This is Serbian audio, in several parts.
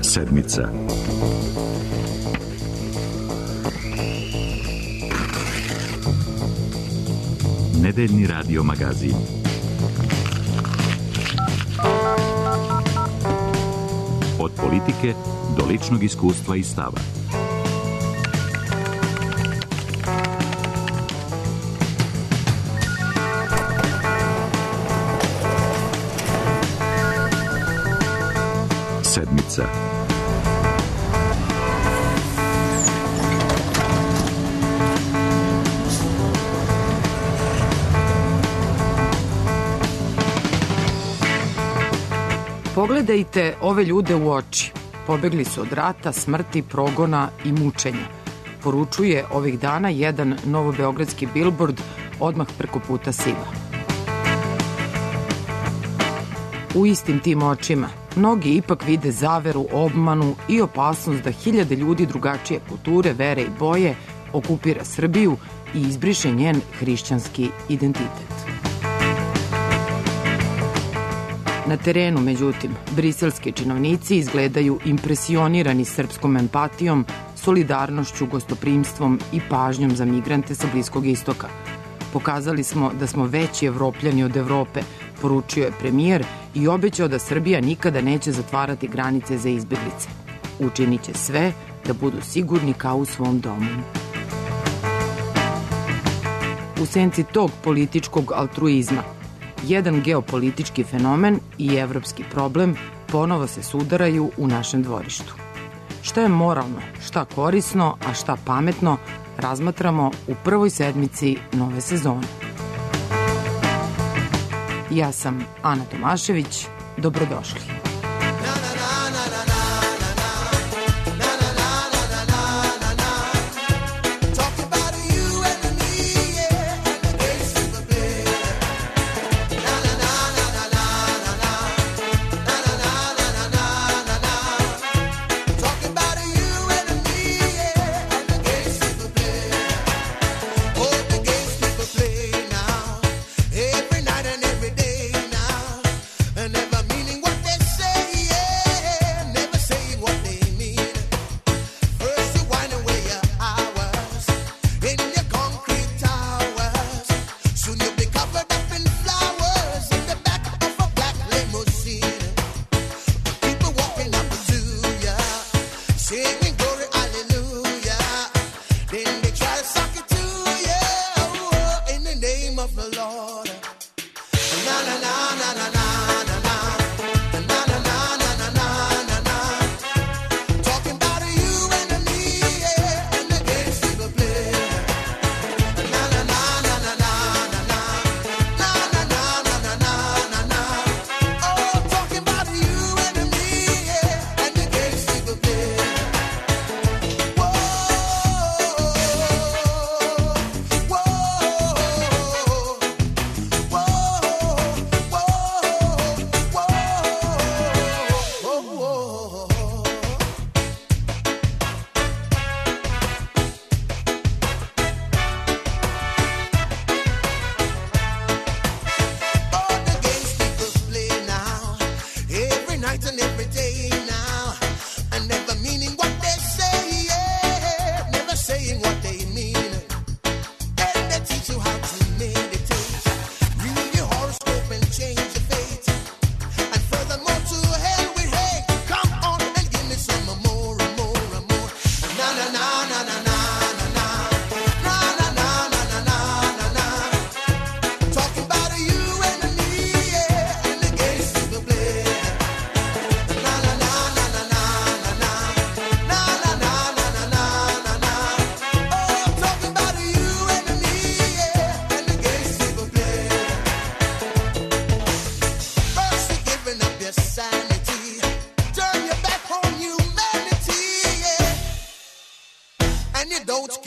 Sedmica. Nedeljni radio magazin. Od politike do ličnog iskustva i stava. Sedmica. Pogledajte ove ljude u oči. Pobegli su od rata, smrti, progona i mučenja. Poručuje ovih dana jedan novobeogradski bilbord odmah preko puta Siva. U istim tim očima mnogi ipak vide zaveru, obmanu i opasnost da hiljade ljudi drugačije kulture, vere i boje okupira Srbiju i izbriše njen hrišćanski identitet. Na terenu, međutim, briselski činovnici izgledaju impresionirani srpskom empatijom, solidarnošću, gostoprimstvom i pažnjom za migrante sa Bliskog istoka. Pokazali smo da smo veći Evropljani od Evrope, poručio je premijer i obećao da Srbija nikada neće zatvarati granice za izbeglice. Učinit će sve da budu sigurni kao u svom domu. U senci tog političkog altruizma, jedan geopolitički fenomen i evropski problem ponovo se sudaraju u našem dvorištu. Šta je moralno, šta korisno, a šta pametno, razmatramo u prvoj sedmici nove sezone. Ja sam Ana Tomašević, dobrodošli.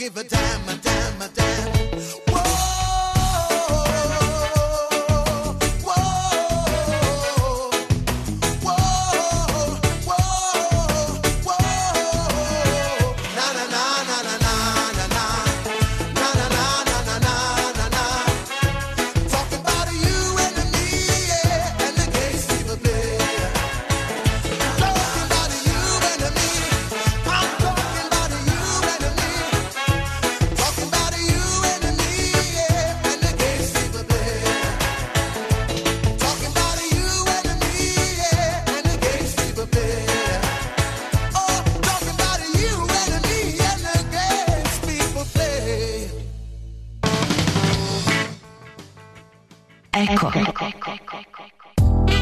Give a damn, a damn, a damn. Whoa.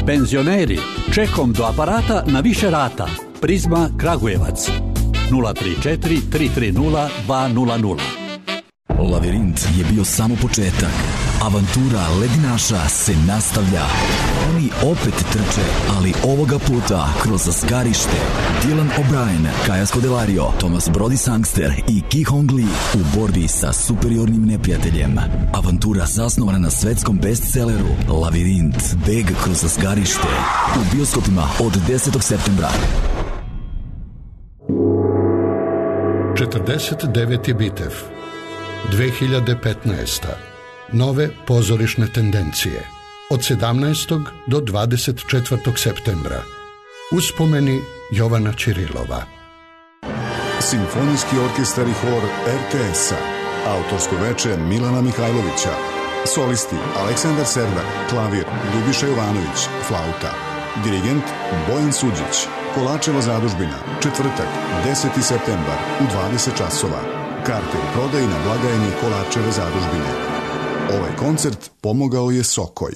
Penzioneri, čekom do aparata na više rata. Prizma Kragujevac 034 330 200. Lavirint je bio samo početak. Avantura ledinaša se nastavlja. Oni opet trče, ali ovoga puta kroz Skarište. Dylan O'Brien, Kaja Scodelario, Thomas Brody Sangster i Ki Hong Lee u borbi sa superiornim neprijateljem. Avantura zasnovana na svetskom bestselleru Lavirint, beg kroz Skarište. U bioskopima od 10. septembra. 49. bitev 2015. Nove pozorišne tendencije od 17. do 24. septembra. Uspomeni Jovana Ćirilova. Simfonijski orkestar i hor RTS-a. Autorsko veče Milana Mihajlovića. Solisti Aleksandar Serdar, klavir Ljubiša Jovanović, flauta. Dirigent Bojan Suđić. Kolačeva zadužbina, četvrtak, 10. septembar u 20 časova. Karte u prodaji na blagajni Kolačeve zadužbine. Ovaj koncert pomogao je Sokoj.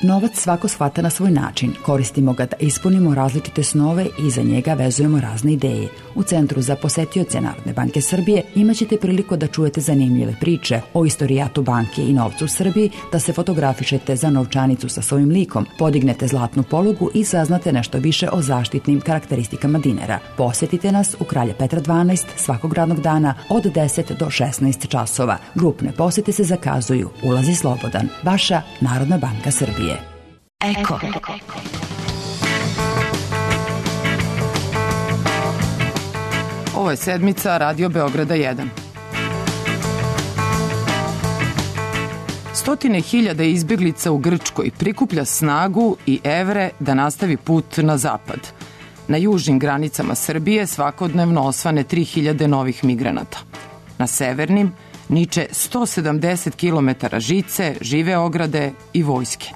Novac svako shvata na svoj način. Koristimo ga da ispunimo različite snove i za njega vezujemo razne ideje. U Centru za posetioce Narodne banke Srbije imaćete priliku da čujete zanimljive priče o istorijatu banke i novcu u Srbiji, da se fotografišete za novčanicu sa svojim likom, podignete zlatnu polugu i saznate nešto više o zaštitnim karakteristikama dinara. Posetite nas u Kralja Petra 12 svakog radnog dana od 10 do 16 časova. Grupne posete se zakazuju. Ulaz je slobodan. Vaša Narodna banka Srbije. Eko. Ovo je sedmica Radio Beograda 1. Stotine hiljada izbjeglica u Grčkoj prikuplja snagu i evre da nastavi put na zapad. Na južnim granicama Srbije svakodnevno osvane 3000 novih migranata. Na severnim niče 170 km žice, žive ograde i vojske.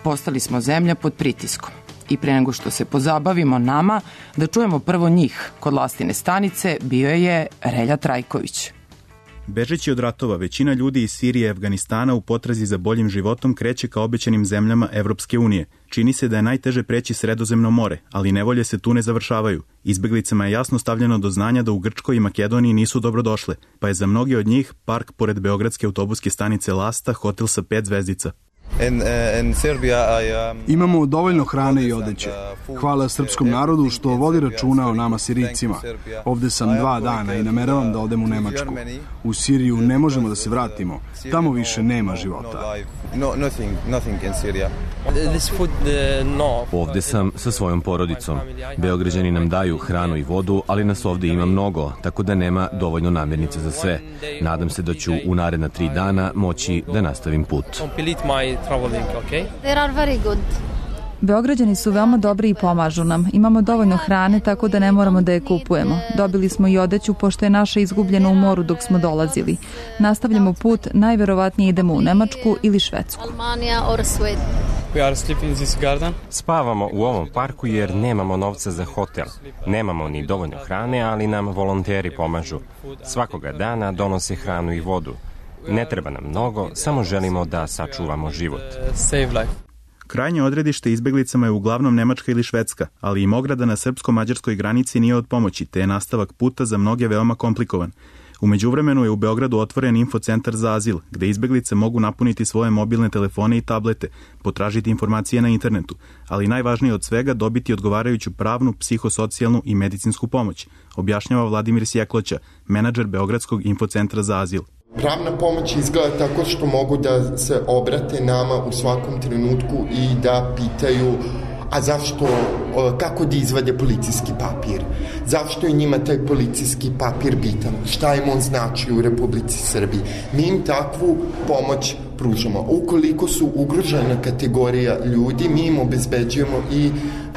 Postali smo zemlja pod pritiskom. I pre nego što se pozabavimo nama, da čujemo prvo njih. Kod Lastine stanice bio je Relja Trajković. Bežeći od ratova, većina ljudi iz Sirije i Afganistana u potrazi za boljim životom kreće ka obećanim zemljama Evropske unije. Čini se da je najteže preći Sredozemno more, ali nevolje se tu ne završavaju. Izbeglicama je jasno stavljeno do znanja da u Grčkoj i Makedoniji nisu dobrodošle, pa je za mnogi od njih park pored beogradske autobuske stanice Lasta hotel sa 5 zvezdica. Imamo dovoljno hrane i odeće. Hvala srpskom narodu što vodi računa o nama Sirijcima. Ovde sam 2 dana i nameravam da odem u Nemačku. U Siriju ne možemo da se vratimo. Tamo više nema života. Ovde sam sa svojom porodicom. Beograđani nam daju hranu i vodu, ali nas ovde ima mnogo, tako da nema dovoljno namirnica za sve. Nadam se da ću u naredna 3 dana moći da nastavim put. Beograđani su veoma dobri i pomažu nam. Imamo dovoljno hrane, tako da ne moramo da je kupujemo. Dobili smo i odeću, pošto je naša izgubljena u moru dok smo dolazili. Nastavljamo put, najverovatnije idemo u Nemačku ili Švedsku. Spavamo u ovom parku jer nemamo novca za hotel. Nemamo ni dovoljno hrane, ali nam volonteri pomažu. Svakoga dana donose hranu i vodu. Ne treba nam mnogo, samo želimo da sačuvamo život. Krajnje odredište izbeglicama je uglavnom Nemačka ili Švedska, ali im ograda na srpsko-mađarskoj granici nije od pomoći, te je nastavak puta za mnoge veoma komplikovan. U međuvremenu je u Beogradu otvoren infocentar za azil, gde izbeglice mogu napuniti svoje mobilne telefone i tablete, potražiti informacije na internetu, ali najvažnije od svega dobiti odgovarajuću pravnu, psihosocijalnu i medicinsku pomoć, objašnjava Vladimir Sjekloća, menadžer Beogradskog infocentra za azil. Pravna pomoć izgleda tako što mogu da se obrate nama u svakom trenutku i da pitaju a zašto, kako da izvade policijski papir, zašto je njima taj policijski papir bitan, šta im on znači u Republici Srbiji. Mi im takvu pomoć pružamo. Ukoliko su ugrožena kategorija ljudi, mi im obezbeđujemo i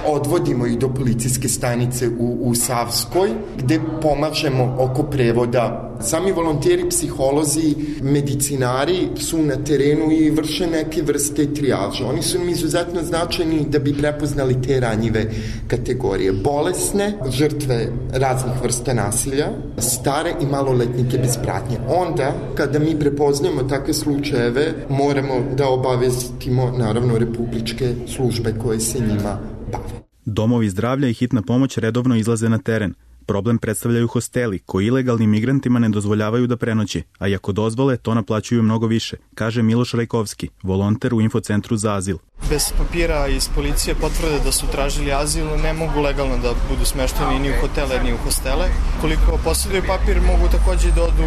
odvodimo ih do policijske stanice u Savskoj, gde pomažemo oko prevoda. Sami volonteri, psiholozi, medicinari su na terenu i vrše neke vrste trijaže. Oni su im izuzetno značajni da bi prepoznali te ranjive kategorije. Bolesne, žrtve raznih vrsta nasilja, stare i maloletnike bez pratnje. Onda, kada mi prepoznajemo takve slučajeve, moramo da obavestimo naravno republičke službe koje se njima bave. Domovi zdravlja i hitna pomoć redovno izlaze na teren. Problem predstavljaju hosteli, koji ilegalnim migrantima ne dozvoljavaju da prenoće, a i ako dozvole, to naplaćuju mnogo više, kaže Miloš Rajkovski, volonter u Infocentru za azil. Bez papira iz policije potvrde da su tražili azil ne mogu legalno da budu smešteni ni u hotele, ni u hostele. Koliko posjeduju papir, mogu takođe da odu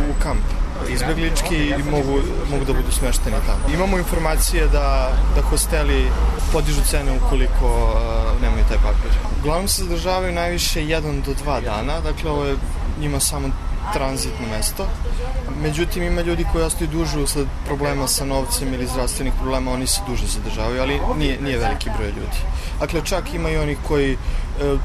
u kamp izbeglički i mogu da budu smešteni tamo. Imamo informacije da hosteli podižu cene ukoliko nemaju taj papir. Uglavnom se zadržavaju najviše 1 do 2 dana, dakle ovo je njima samo tranzitno mesto. Međutim, ima ljudi koji ostaju duže usled problema sa novcem ili zdravstvenih problema, oni se duže zadržavaju, ali nije veliki broj ljudi. Dakle, čak ima i onih koji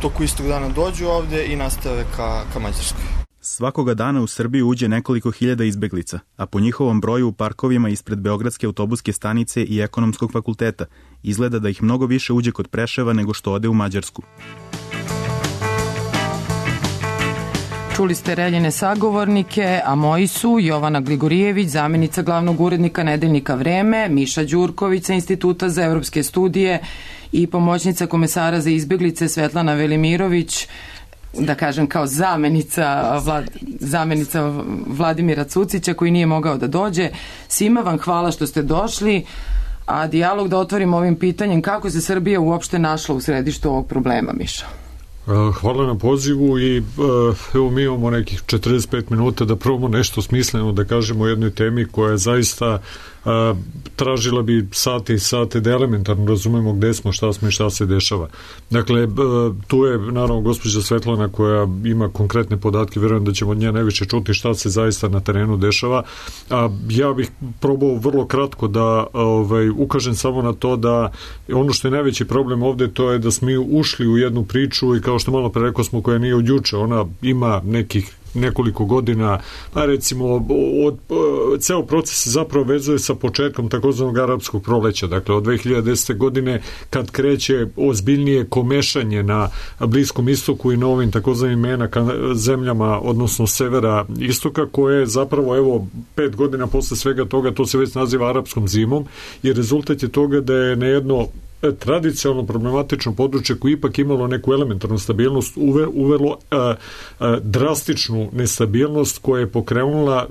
toku istog dana dođu ovde i nastave ka Mađarskoj. Svakoga dana u Srbiju uđe nekoliko hiljada izbeglica, a po njihovom broju u parkovima ispred Beogradske autobuske stanice i Ekonomskog fakulteta izgleda da ih mnogo više uđe kod Preševa nego što ode u Mađarsku. Čuli ste Reljine sagovornike, a moji su Jovana Gligorijević, zamjenica glavnog urednika Nedeljnika Vreme, Miša Đurković sa Instituta za evropske studije i pomoćnica komesara za izbeglice Svetlana Velimirović, da kažem kao zamenica Vladimira Cucića koji nije mogao da dođe. Svima vam hvala što ste došli, a dijalog da otvorimo ovim pitanjem kako se Srbija uopšte našla u središtu ovog problema, Miša. Hvala na pozivu i evo mi imamo nekih 45 minuta da probamo nešto smisleno da kažemo o jednoj temi koja je zaista tražila bi sate i sate da elementarno razumemo gde smo, šta smo i šta se dešava. Dakle, tu je naravno gospođa Svetlana koja ima konkretne podatke, verujem da ćemo od nje najviše čuti šta se zaista na terenu dešava. Ja bih probao vrlo kratko da ukažem samo na to da ono što je najveći problem ovde to je da smo ušli u jednu priču i kao što malo pre rekao smo koja nije od juče, ona ima nekih nekoliko godina, a recimo ceo proces se zapravo vezuje sa početkom takozvanog arapskog proleća, dakle od 2010. godine kad kreće ozbiljnije komešanje na Bliskom istoku i na ovim takozvanim MENA zemljama, odnosno severa istoka, koje je zapravo evo 5 godina posle svega toga, to se već naziva arapskom zimom i rezultat je toga da je na jedno tradicionalno problematično područje koje ipak imalo neku elementarnu stabilnost uvelo drastičnu nestabilnost koja je pokrenula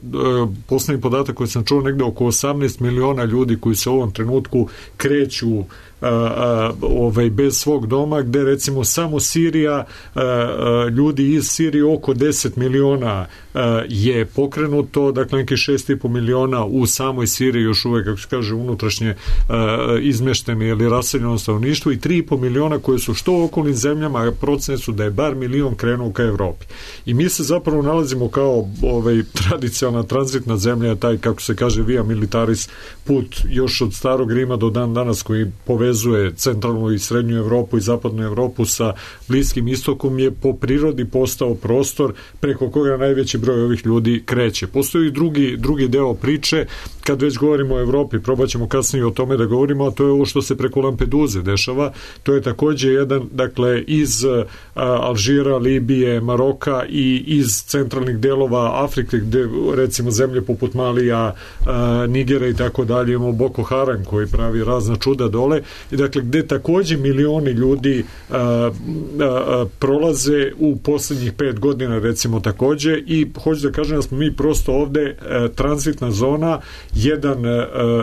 poslednji podatak koji sam čuo negde oko 18 miliona ljudi koji se u ovom trenutku kreću bez svog doma, gde recimo samo Sirija, ljudi iz Sirije oko 10 miliona je pokrenuto, dakle neki 6,5 miliona u samoj Siriji još uvek, kako se kaže, unutrašnje izmeštene ili raseljeno stanovništvo i 3,5 miliona koje su što u okolnim zemljama, procene su da je bar milion krenuo ka Evropi. I mi se zapravo nalazimo kao tradicionalna tranzitna zemlja, taj, kako se kaže, via militaris put još od starog Rima do dan danas koji povezuje centralnu i srednju Evropu i zapadnu Evropu sa Bliskim istokom je po prirodi postao prostor preko koga najveći broj ovih ljudi kreće. Postoji i drugi deo priče, kad već govorimo o Evropi, probat ćemo kasnije o tome da govorimo, a to je ovo što se preko Lampeduze dešava. To je takođe jedan, dakle, iz Alžira, Libije, Maroka i iz centralnih delova Afrike, gde recimo zemlje poput Malija, Nigera i tako dalje, imamo Boko Haram koji pravi razna čuda dole, i dakle gde takođe milioni ljudi prolaze u poslednjih 5 godina recimo takođe, i hoću da kažem da smo mi prosto ovde tranzitna zona,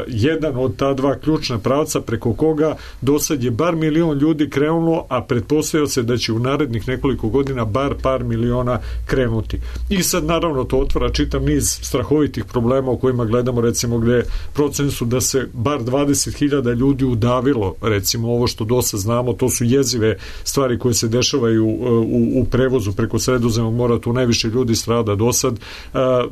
jedan od ta dva ključna pravca preko koga do sad je bar milion ljudi krenulo, a pretpostavlja se da će u narednih nekoliko godina bar par miliona krenuti. I sad naravno to otvara čitav niz strahovitih problema o kojima gledamo, recimo gde procene su da se bar 20.000 ljudi udavilo, recimo ovo što dosta znamo, to su jezive stvari koje se dešavaju u prevozu preko Sredozemnog mora, tu najviše ljudi strada do sad.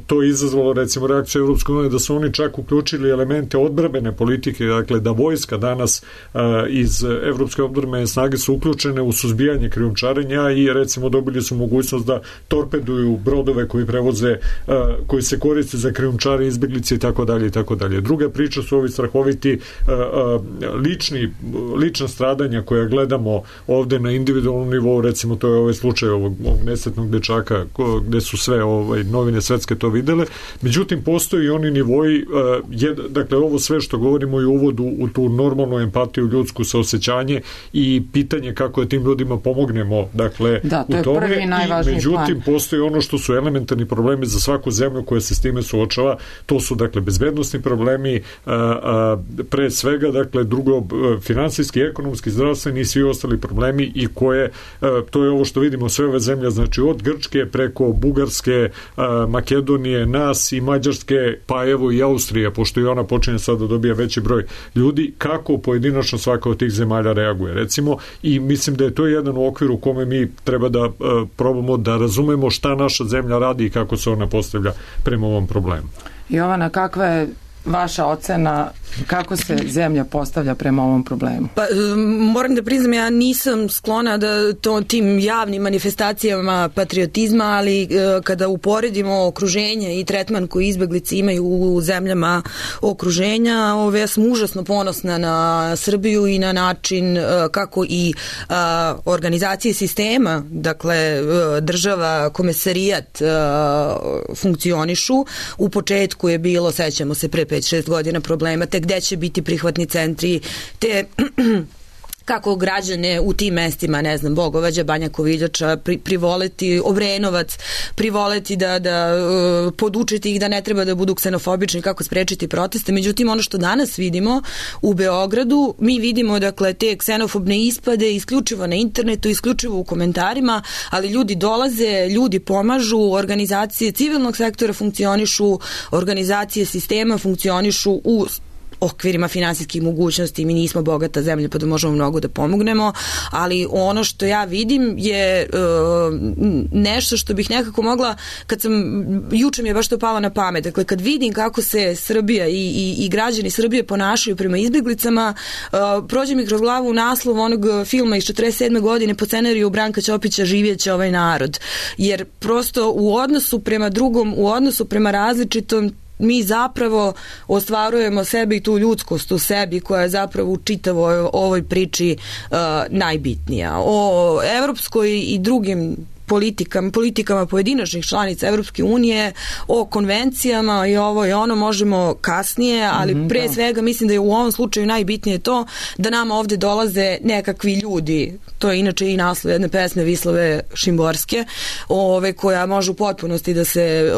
To je izazvalo recimo reakciju Evropske unije da su oni čak uključili elemente odbrambene politike, dakle da vojska danas iz Evropske odbrambene snage su uključene u suzbijanje krijumčarenja i recimo dobili su mogućnost da torpeduju brodove koji prevoze, koji se koriste za krijumčare, izbeglice i tako dalje i tako dalje. Druga priča su ovi strahoviti lična stradanja koja gledamo ovde na individualnom nivou, recimo to je ovaj slučaj ovog nesretnog dečaka gde su sve novine svetske to videle. Međutim, postoji i oni nivoji, dakle, ovo sve što govorimo je uvod u tu normalnu empatiju, ljudsku saosećanje i pitanje kako je tim ljudima pomognemo, dakle, to u tome. Prvi i najvažniji međutim, postoji ono što su elementarni problemi za svaku zemlju koja se s time suočava. To su, dakle, bezbednosni problemi, pre svega, dakle, drugo, finansijski, ekonomski, zdravstveni i svi ostali problemi i koje, to je ovo što vidimo sve ove zemlje, znači od Grčke preko Bugarske, Makedonije, nas i Mađarske, pa evo i Austrija, pošto i ona počinje sad da dobija veći broj ljudi, kako pojedinačno svaka od tih zemalja reaguje, recimo, i mislim da je to jedan u okviru u kome mi treba da probamo da razumemo šta naša zemlja radi i kako se ona postavlja prema ovom problemu. Jovana, kakva je vaša ocena kako se zemlja postavlja prema ovom problemu? Pa, moram da priznam, ja nisam sklona da tim javnim manifestacijama patriotizma, ali kada uporedimo okruženje i tretman koji izbeglice imaju u zemljama okruženja, ja sam užasno ponosna na Srbiju i na način kako i organizacije sistema, dakle država, komesarijat funkcionišu. U početku je bilo, sećamo se, pre 5-6 godina problema, te gde će biti prihvatni centri, te kako građane u tim mestima, ne znam, Bogovađa, Banja Koviljača, privoleti, Obrenovac, privoleti da podučiti ih da ne treba da budu ksenofobični, kako sprečiti proteste. Međutim, ono što danas vidimo u Beogradu, mi vidimo, dakle, te ksenofobne ispade isključivo na internetu, isključivo u komentarima, ali ljudi dolaze, ljudi pomažu, organizacije civilnog sektora funkcionišu, organizacije sistema funkcionišu u okvirima finansijskih mogućnosti. Mi nismo bogata zemlja pa da možemo mnogo da pomognemo, ali ono što ja vidim je nešto što bih nekako mogla, juče mi je baš to palo na pamet, dakle kad vidim kako se Srbija i građani Srbije ponašaju prema izbeglicama, prođe mi kroz glavu naslov onog filma iz 47. godine po scenariju Branka Ćopića Živjeće ovaj narod, jer prosto u odnosu prema drugom, u odnosu prema različitom, mi zapravo ostvarujemo sebe i tu ljudskost u sebi koja je zapravo u čitavoj ovoj priči najbitnija. O evropskoj i drugim politikama pojedinačnih članica Evropske unije, o konvencijama i ovo i ono možemo kasnije, ali pre svega mislim da je u ovom slučaju najbitnije to da nama ovde dolaze nekakvi ljudi. To je inače i naslov jedne pesme Vislave Šimborske, koja može u potpunosti da se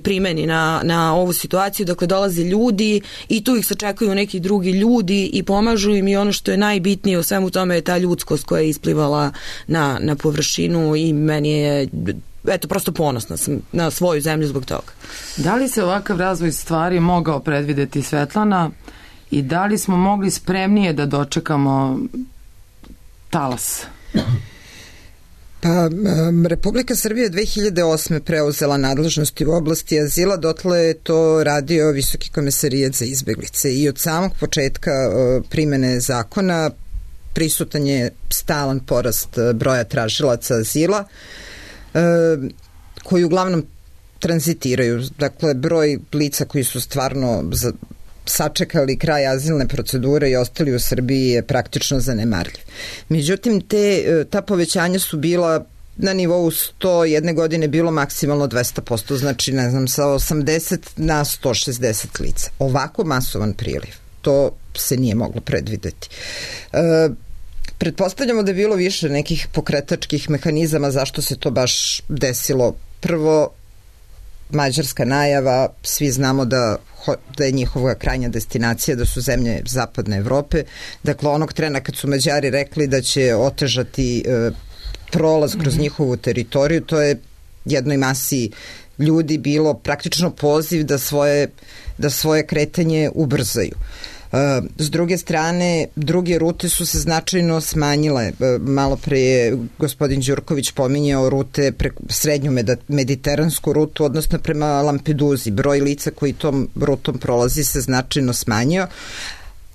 primeni na ovu situaciju. Dakle, dolaze ljudi i tu ih sačekuju neki drugi ljudi i pomažu im, i ono što je najbitnije u svemu tome je ta ljudskost koja je isplivala na površinu i meni je, prosto ponosna sam na svoju zemlju zbog toga. Da li se ovakav razvoj stvari mogao predvideti, Svetlana, i da li smo mogli spremnije da dočekamo talas? Pa, Republika Srbije 2008. preuzela nadležnosti u oblasti azila, dotle je to radio Visoki komesarijat za izbeglice i od samog početka primene zakona prisutan je stalan porast broja tražilaca azila koji uglavnom tranzitiraju. Dakle, broj lica koji su stvarno sačekali kraj azilne procedure i ostali u Srbiji je praktično zanemarljiv. Međutim, ta povećanja su bila na nivou 101 godine bilo maksimalno 200%, znači ne znam, sa 80 na 160 lica. Ovako masovan priliv, to se nije moglo predvideti. Pretpostavljamo da je bilo više nekih pokretačkih mehanizama zašto se to baš desilo. Prvo, mađarska najava, svi znamo da je njihova krajnja destinacija, da su zemlje zapadne Evrope. Dakle, onog trena kad su Mađari rekli da će otežati prolaz kroz njihovu teritoriju, to je jednoj masi ljudi bilo praktično poziv da svoje kretanje ubrzaju. S druge strane, druge rute su se značajno smanjile. Malo pre je gospodin Đurković pominjao rute, srednju mediteransku rutu, odnosno prema Lampeduzi. Broj lica koji tom rutom prolazi se značajno smanjio.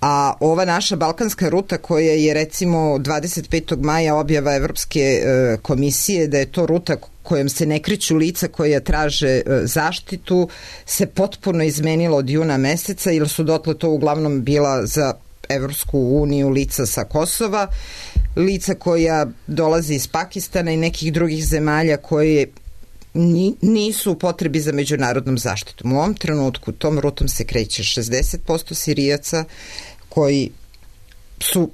A ova naša balkanska ruta koja je recimo 25. maja objava Evropske komisije da je to ruta kojom se ne kreću lica koja traže zaštitu, se potpuno izmenilo od juna meseca, jer su dotle to uglavnom bila za Evropsku uniju lica sa Kosova, lica koja dolaze iz Pakistana i nekih drugih zemalja koje nisu u potrebi za međunarodnom zaštitom. U ovom trenutku tom rutom se kreće 60% Sirijaca koji su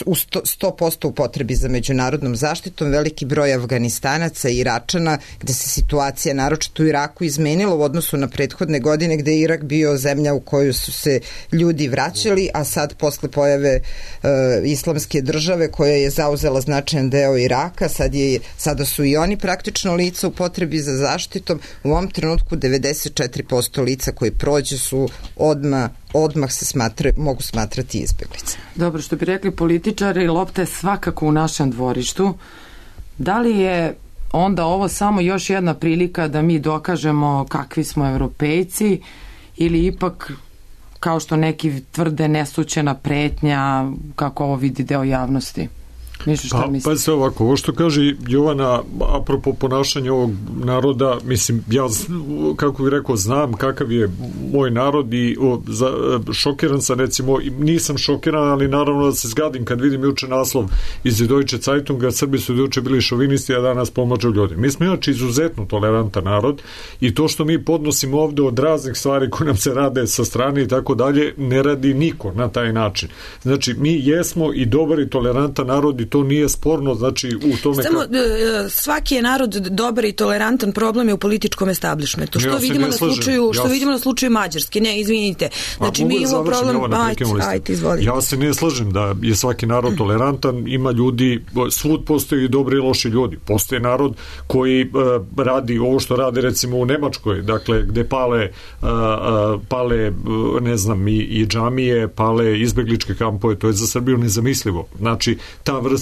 u 100% u potrebi za međunarodnom zaštitom, veliki broj Afganistanaca i Iračana, gde se situacija naročito u Iraku izmenila u odnosu na prethodne godine, gde je Irak bio zemlja u koju su se ljudi vraćali, a sad posle pojave islamske države koja je zauzela značajan deo Iraka, sada su i oni praktično lica u potrebi za zaštitom. U ovom trenutku 94% lica koji prođe su odmah se mogu smatrati izbeglice. Dobro, što bi rekli političari, lopta je svakako u našem dvorištu. Da li je onda ovo samo još jedna prilika da mi dokažemo kakvi smo Evropejci ili ipak, kao što neki tvrde, nesućena pretnja, kako ovo vidi deo javnosti? Pa se ovako, ovo što kaže Jovana apropo ponašanja ovog naroda, mislim, ja kako bih rekao, znam kakav je moj narod i šokiran sam, recimo, nisam šokiran, ali naravno da se zgadim kad vidim juče naslov iz Deutsche Zeitunga, Srbi su juče bili šovinisti, a danas pomažu ljudi. Mi smo inače izuzetno tolerantan narod i to što mi podnosimo ovde od raznih stvari koje nam se rade sa strane i tako dalje, ne radi niko na taj način. Znači, mi jesmo i dobar i tolerantan narod i to nije sporno, znači u tome... Samo, svaki je narod dobar i tolerantan, problem je u političkom establishmentu. Što vidimo na slučaju Mađarske? Ne, izvinite. Znači, mi imamo problem... Ajde, izvolite. Ja se ne slažem da je svaki narod tolerantan, ima ljudi, svud postoji i dobri i loši ljudi. Postoji narod koji radi ovo što radi recimo u Nemačkoj, dakle, gde pale ne znam, i džamije, pale izbegličke kampove, to je za Srbiju nezamislivo. Znači, ta vrsta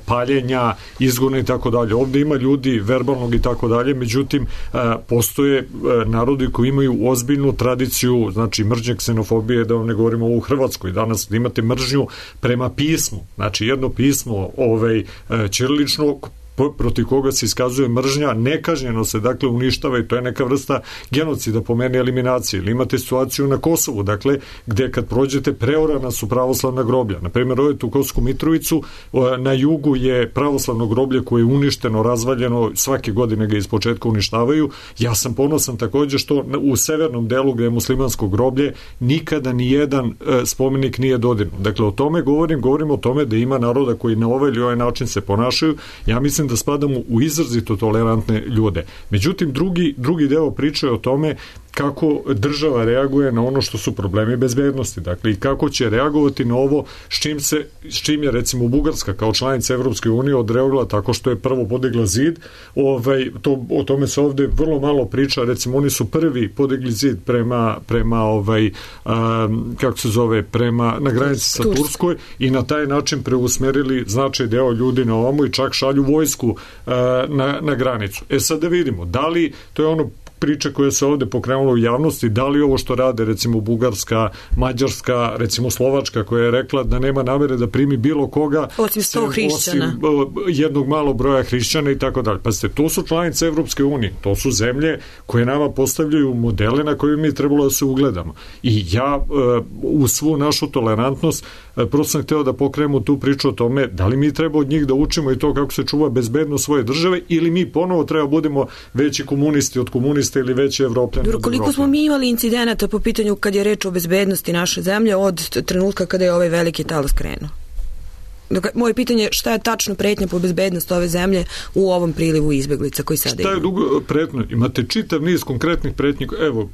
paljenja, izgona i tako dalje. Ovde ima ljudi verbalnog i tako dalje, međutim postoje narodi koji imaju ozbiljnu tradiciju, znači mržnje, ksenofobije, da vam ne govorimo u Hrvatskoj. Danas imate mržnju prema pismu. Znači jedno pismo ćirilično protiv koga se iskazuje mržnja, nekažnjeno se dakle uništava i to je neka vrsta genocida po meni, eliminacije. Ili imate situaciju na Kosovu, dakle, gde kad prođete preorana su pravoslavna groblja. Na primjer, odete u Kosovsku Mitrovicu, na jugu je pravoslavno groblje koje je uništeno, razvaljeno, svake godine ga ispočetka uništavaju. Ja sam ponosan takođe što u severnom delu gde je muslimansko groblje nikada ni jedan spomenik nije dodirnut. Dakle, o tome govorim o tome da ima naroda koji na ovaj ili ovaj način se ponašaju. Ja mislim da spadamo u izrazito tolerantne ljude. Međutim, drugi deo priče je o tome kako država reaguje na ono što su problemi bezbednosti. Dakle, i kako će reagovati na ovo s čim je recimo Bugarska kao članica Evropske unije odreagovala tako što je prvo podigla zid. O tome se ovde vrlo malo priča. Recimo, oni su prvi podigli zid prema kako se zove, na granici sa Turskoj i na taj način preusmerili značaj deo ljudi na ovamo i čak šalju vojsku na granicu. Sad da vidimo, da li to je ono priča koja se ovde pokrenula u javnosti, da li ovo što rade recimo Bugarska, Mađarska, recimo Slovačka koja je rekla da nema namere da primi bilo koga osim 100 hrišćana, jednog malog broja hrišćana i tako dalje. Pazite, to su članice Evropske unije, to su zemlje koje nama postavljaju modele na koje mi trebalo da se ugledamo. I ja u svu našu tolerantnost prosto sam hteo da pokrenemo tu priču o tome da li mi treba od njih da učimo i to kako se čuva bezbednost svoje države ili mi ponovo treba budemo veći komunisti od komunista ili veći Evropljani. Koliko smo mi imali incidenata po pitanju kad je reč o bezbednosti naše zemlje od trenutka kada je ovaj veliki talas krenuo? Moje pitanje je šta je tačno pretnja po bezbednost ove zemlje u ovom prilivu izbeglica koji sada imamo? Šta je pretnja? Imate čitav niz konkretnih pretnji. Evo,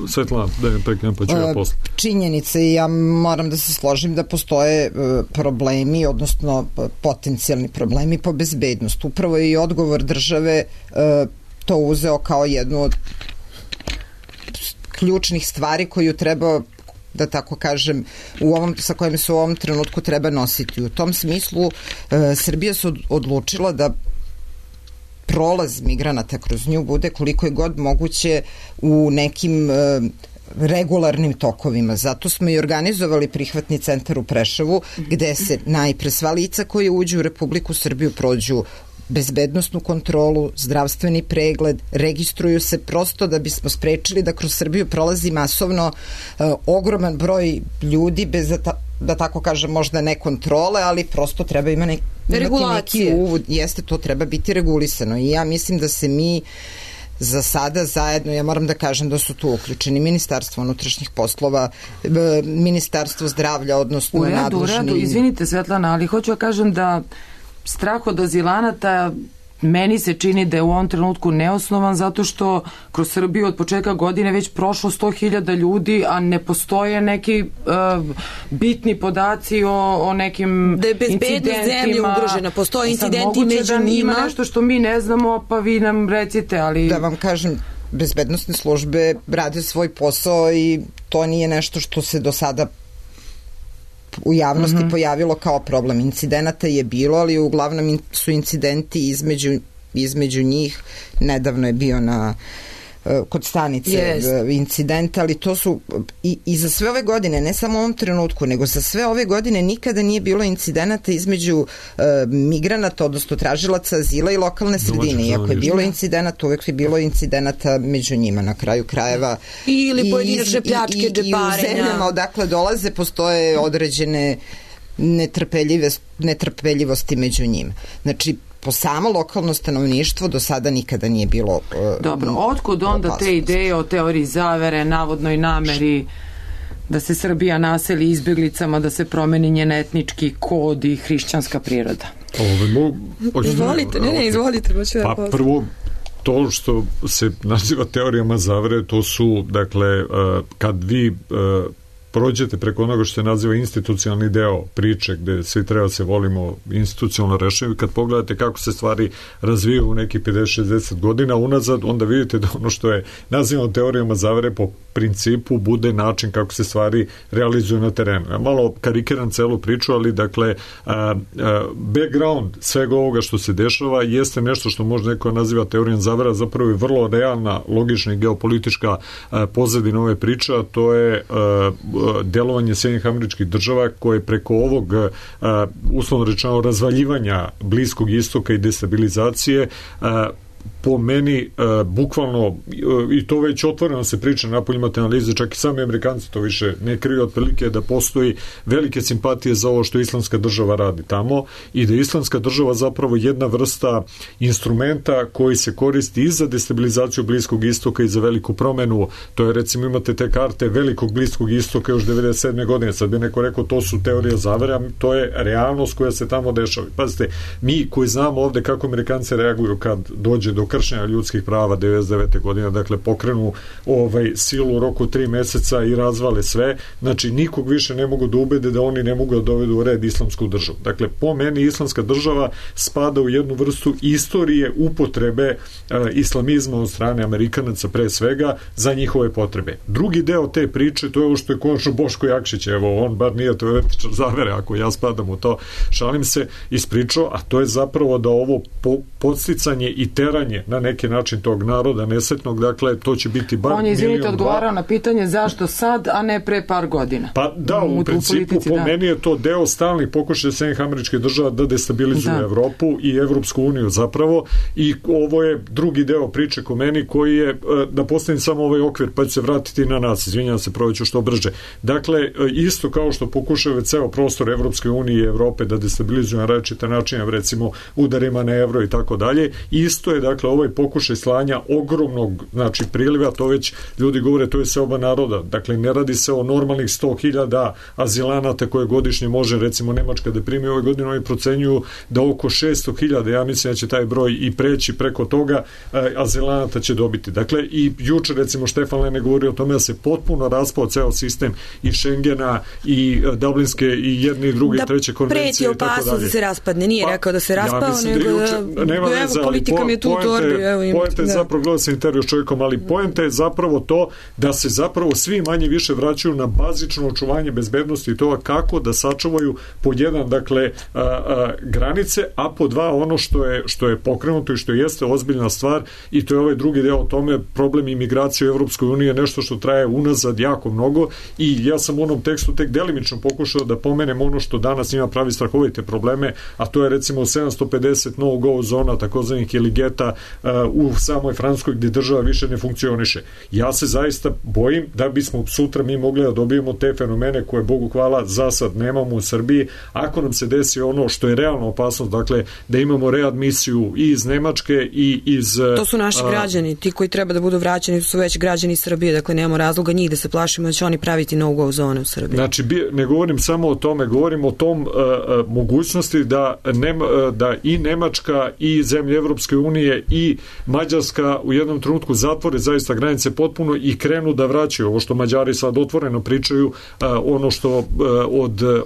Svetlana, da je preknem pa ću ja posle. Činjenice, i ja moram da se složim da postoje problemi, odnosno potencijalni problemi po bezbednost. Upravo je i odgovor države to uzeo kao jednu od ključnih stvari koju treba, da tako kažem, sa kojim se u ovom trenutku treba nositi. U tom smislu Srbija se odlučila da prolaz migranata kroz nju bude koliko je god moguće u nekim regularnim tokovima. Zato smo i organizovali prihvatni centar u Preševu, gde se najpre sva lica koje uđu u Republiku Srbiju prođu bezbednosnu kontrolu, zdravstveni pregled, registruju se prosto da bismo sprečili da kroz Srbiju prolazi masovno ogroman broj ljudi da tako kažem, možda ne kontrole, ali prosto treba imati neki uvod. Jeste, to treba biti regulisano i ja mislim da se mi za sada zajedno, ja moram da kažem da su tu uključeni Ministarstvo unutrašnjih poslova, Ministarstvo zdravlja, odnosno nadležni... U redu, izvinite Svetlana, ali hoću da kažem da strah od azilanata meni se čini da je u ovom trenutku neosnovan zato što kroz Srbiju od početka godine već prošlo 100.000 ljudi, a ne postoje neki bitni podaci o nekim da je bezbednost zemlje ugrožena, postoje incidenti među njima. Ima nešto što mi ne znamo, pa vi nam recite, ali... Da vam kažem, bezbednosne službe rade svoj posao i to nije nešto što se do sada u javnosti pojavilo kao problem. Incidenata je bilo, ali uglavnom su incidenti između njih. Nedavno je bio kod stanice incident, ali to su i za sve ove godine, ne samo u ovom trenutku, nego za sve ove godine nikada nije bilo incidenata između migranata, odnosno tražilaca azila i lokalne sredine. Iako je bilo incidenata, uvek je bilo incidenata među njima na kraju krajeva. Ili pojedinačne pljačke, džeparenja. I u zemljama odakle dolaze postoje određene netrpeljivosti među njima. Znači, po samo lokalno stanovništvo do sada nikada nije bilo dobro, otkud onda te ideje o teoriji zavere, navodnoj nameri da se Srbija naseli izbjeglicama, da se promeni njen etnički kod i hrišćanska priroda? Izvolite. Pa prvo, to što se naziva teorijama zavere, to su, dakle, kad vi prođete preko onoga što se naziva institucionalni deo priče, gde svi treba se volimo institucionalno rešenje, kad pogledate kako se stvari razvijaju u nekih 50-60 godina unazad, onda vidite da ono što je nazivano teorijama zavere po principu bude način kako se stvari realizuju na terenu. Ja malo karikiram celu priču, ali dakle background svega ovoga što se dešava jeste nešto što možda neko naziva teorijom zavera, zapravo je vrlo realna, logična i geopolitička pozadina ove priče, a to je delovanje Sjedinjenih Američkih Država koje preko ovog uslovno rečeno razvaljivanja Bliskog istoka i destabilizacije po meni bukvalno, i to već otvoreno se priča na poljima te analize, čak i sami Amerikanci to više ne kriju, otprilike da postoji velike simpatije za ovo što Islamska država radi tamo i da je Islamska država zapravo jedna vrsta instrumenta koji se koristi i za destabilizaciju Bliskog istoka i za veliku promenu. To je, recimo, imate te karte velikog Bliskog istoka još 97. godine. Sad bi neko rekao to su teorije zavere, to je realnost koja se tamo dešava. Pazite, mi koji znamo ovde kako Amerikanci reaguju kad dođe do kršenja ljudskih prava 99. godine, dakle pokrenu silu u roku 3 meseca i razvale sve, znači nikog više ne mogu da ubede da oni ne mogu da dovedu u red islamsku državu. Dakle, po meni islamska država spada u jednu vrstu istorije upotrebe islamizma od strane Amerikanaca pre svega za njihove potrebe. Drugi deo te priče, to je ovo što je konačno Boško Jakšić, evo, on bar nije teoretičar zavere, ako ja spadam u to, šalim se, ispričao, a to je zapravo da ovo podsticanje i teranje na neki način tog naroda nesretnog, dakle, to će biti bar on je, izvinite, odgovarao na pitanje zašto sad, a ne pre par godina. Pa da, u principu, po meni je to deo stalnih pokušaja Sjedinjenih Američkih Država da destabilizuju Evropu i Evropsku uniju zapravo, i ovo je drugi deo priče ko meni koji je, da postavim samo ovaj okvir, pa ću se vratiti na nas, izvinjam se, proveću što brže. Dakle, isto kao što pokušaju ceo prostor Evropske unije i Evrope da destabilizuju na različite načine, recimo udarima na evro i tako dalje, isto je, dakle, ovaj pokušaj slanja ogromnog, znači, priliva, to već ljudi govore, to je seoba naroda. Dakle, ne radi se o normalnih 100.000 azilanata koje godišnje može, recimo, Nemačka da primi ove godine, oni procenjuju da oko 600.000, ja mislim da će taj broj i preći preko toga, azilanata će dobiti. Dakle, i juče, recimo, Štefan Lene govori o tome da se potpuno raspao ceo sistem i Šengena i Dublinske i jedne i druge i treće konvencije. Da preti opasnost da se raspadne, nije rekao da se raspao, nego da evo, politika mi je tu u torbi. Poenta je zapravo, gledao sam intervju s čovjekom, ali poenta je zapravo to da se zapravo svi manje više vraćaju na bazično očuvanje bezbednosti i toga kako da sačuvaju pod jedan, dakle, granice, a pod dva ono što je pokrenuto i što jeste ozbiljna stvar, i to je ovaj drugi deo o tome, problem imigracije u Evropskoj uniji je nešto što traje unazad jako mnogo, i ja sam u onom tekstu tek delimično pokušao da pomenem ono što danas ima pravi strahovite probleme, a to je, recimo, 750 no-go zona, takozvanih ili geta u samoj Francuskoj gdje država više ne funkcioniše. Ja se zaista bojim da bismo sutra mi mogli da dobijemo te fenomene koje, Bogu hvala, za sad nemamo u Srbiji. Ako nam se desi ono što je realno opasnost, dakle da imamo readmisiju i iz Nemačke i iz... To su naši građani, ti koji treba da budu vraćeni su već građani Srbije, dakle nemamo razloga njih da se plašimo da će oni praviti no-go zone u Srbiji. Znači, ne govorim samo o tome, govorim o tom mogućnosti da i Nemačka i zemlje Evropske unije i Mađarska u jednom trenutku zatvore zaista granice potpuno i krenu da vraćaju ovo što Mađari sad otvoreno pričaju, ono što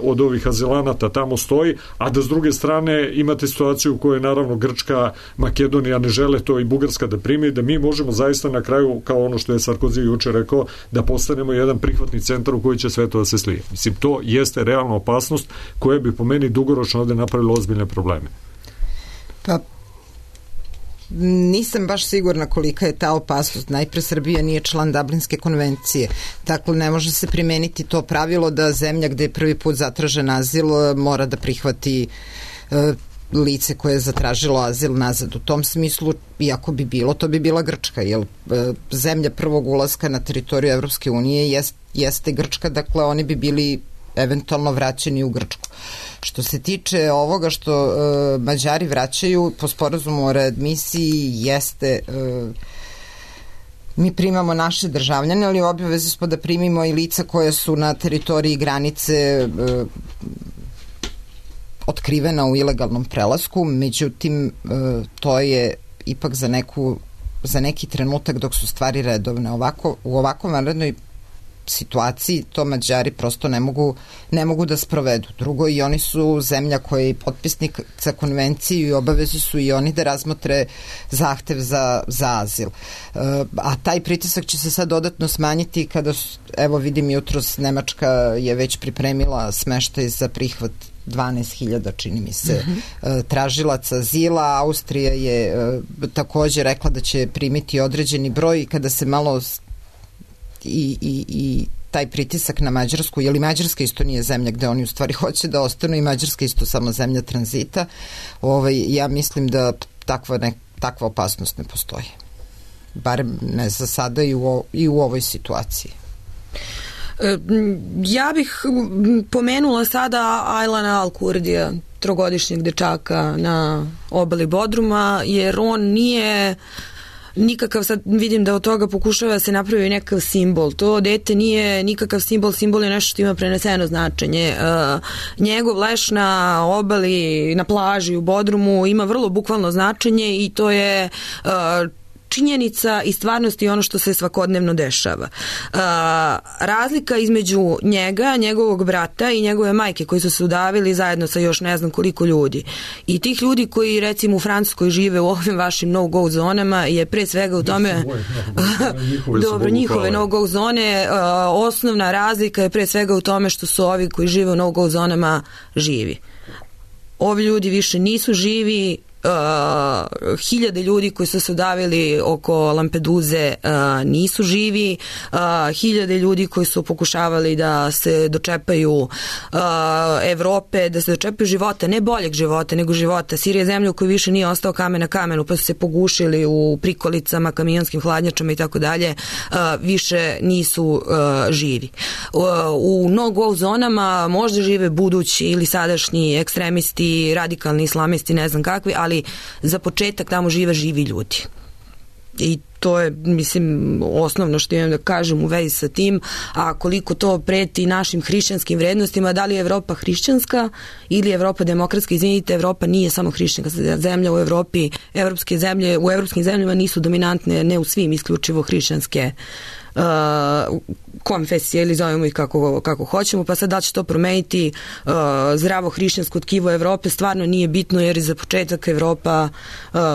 od ovih azilanata tamo stoji, a da s druge strane imate situaciju u kojoj naravno Grčka, Makedonija ne žele to i Bugarska da primi, da mi možemo zaista na kraju, kao ono što je Sarkozy juče rekao, da postanemo jedan prihvatni centar u koji će sve to da se slije. Mislim, to jeste realna opasnost koja bi po meni dugoročno ovde napravila ozbiljne probleme. Pa nisam baš sigurna kolika je ta opasnost. Najpre Srbija nije član Dublinske konvencije. Dakle, ne može se primeniti to pravilo da zemlja gde je prvi put zatražen azil mora da prihvati lice koje je zatražilo azil nazad. U tom smislu, iako bi bilo, to bi bila Grčka, jer zemlja prvog ulaska na teritoriju Evropske unije jeste Grčka, dakle oni bi bili eventualno vraćeni u Grčku. Što se tiče ovoga što Mađari vraćaju po sporazumu o readmisiji, jeste mi primamo naše državljane, ali u obavezi smo da primimo i lica koja su na teritoriji granice otkrivena u ilegalnom prelasku, međutim to je ipak za neki trenutak dok su stvari redovne. U ovakvom vanrednoj situaciji to Mađari prosto ne mogu da sprovedu. Drugo, i oni su zemlja koja je potpisnik za konvenciju i obavezi su i oni da razmotre zahtev za azil. A taj pritisak će se sad dodatno smanjiti kada, evo vidim jutros, Nemačka je već pripremila smeštaj za prihvat 12.000, čini mi se, tražilaca azila. Austrija je takođe rekla da će primiti određeni broj i kada se malo i taj pritisak na Mađarsku, jer i Mađarska isto nije zemlja gde oni u stvari hoće da ostanu i Mađarska isto samo zemlja tranzita, ja mislim da takva opasnost ne postoji. Barem ne za sada i u ovoj situaciji. Ja bih pomenula sada Aylana Al-Kurdija, trogodišnjeg dečaka na obali Bodruma, jer on nije nikakav, sad vidim da od toga pokušava se napravi nekakav simbol. To dete nije nikakav simbol je nešto što ima preneseno značenje. Njegov leš na obali, na plaži u Bodrumu ima vrlo bukvalno značenje i to je činjenica i stvarnost i ono što se svakodnevno dešava. Razlika između njega, njegovog brata i njegove majke koji su se udavili zajedno sa još ne znam koliko ljudi. I tih ljudi koji recimo u Francuskoj žive u ovim vašim no-go zonama je pre svega u tome dobro, njihove no-go zone, osnovna razlika je pre svega u tome što su ovi koji žive u no-go zonama živi. Ovi ljudi više nisu živi. Hiljade ljudi koji su se udavili oko Lampeduze nisu živi, hiljade ljudi koji su pokušavali da se dočepaju Evrope, da se dočepaju života, ne boljeg života, nego života. Sirija je zemlja u kojoj više nije ostao kamen na kamenu, pa su se pogušili u prikolicama, kamionskim hladnjačama i tako dalje, više nisu živi. U no-go zonama možda žive budući ili sadašnji ekstremisti, radikalni islamisti, ne znam kakvi, ali za početak tamo živi ljudi. I to je, mislim, osnovno što imam da kažem u vezi sa tim, a koliko to preti našim hrišćanskim vrednostima, da li je Evropa hrišćanska ili je Evropa demokratska. Izvinite, Evropa nije samo hrišćanska zemlja u Evropi, evropske zemlje, u evropskim zemljama nisu dominantne, ne u svim, isključivo hrišćanske konfesije ili zovemo ih kako hoćemo, pa sad da će to promeniti zdravo hrišćansko tkivo Evrope stvarno nije bitno, jer je za početak Evropa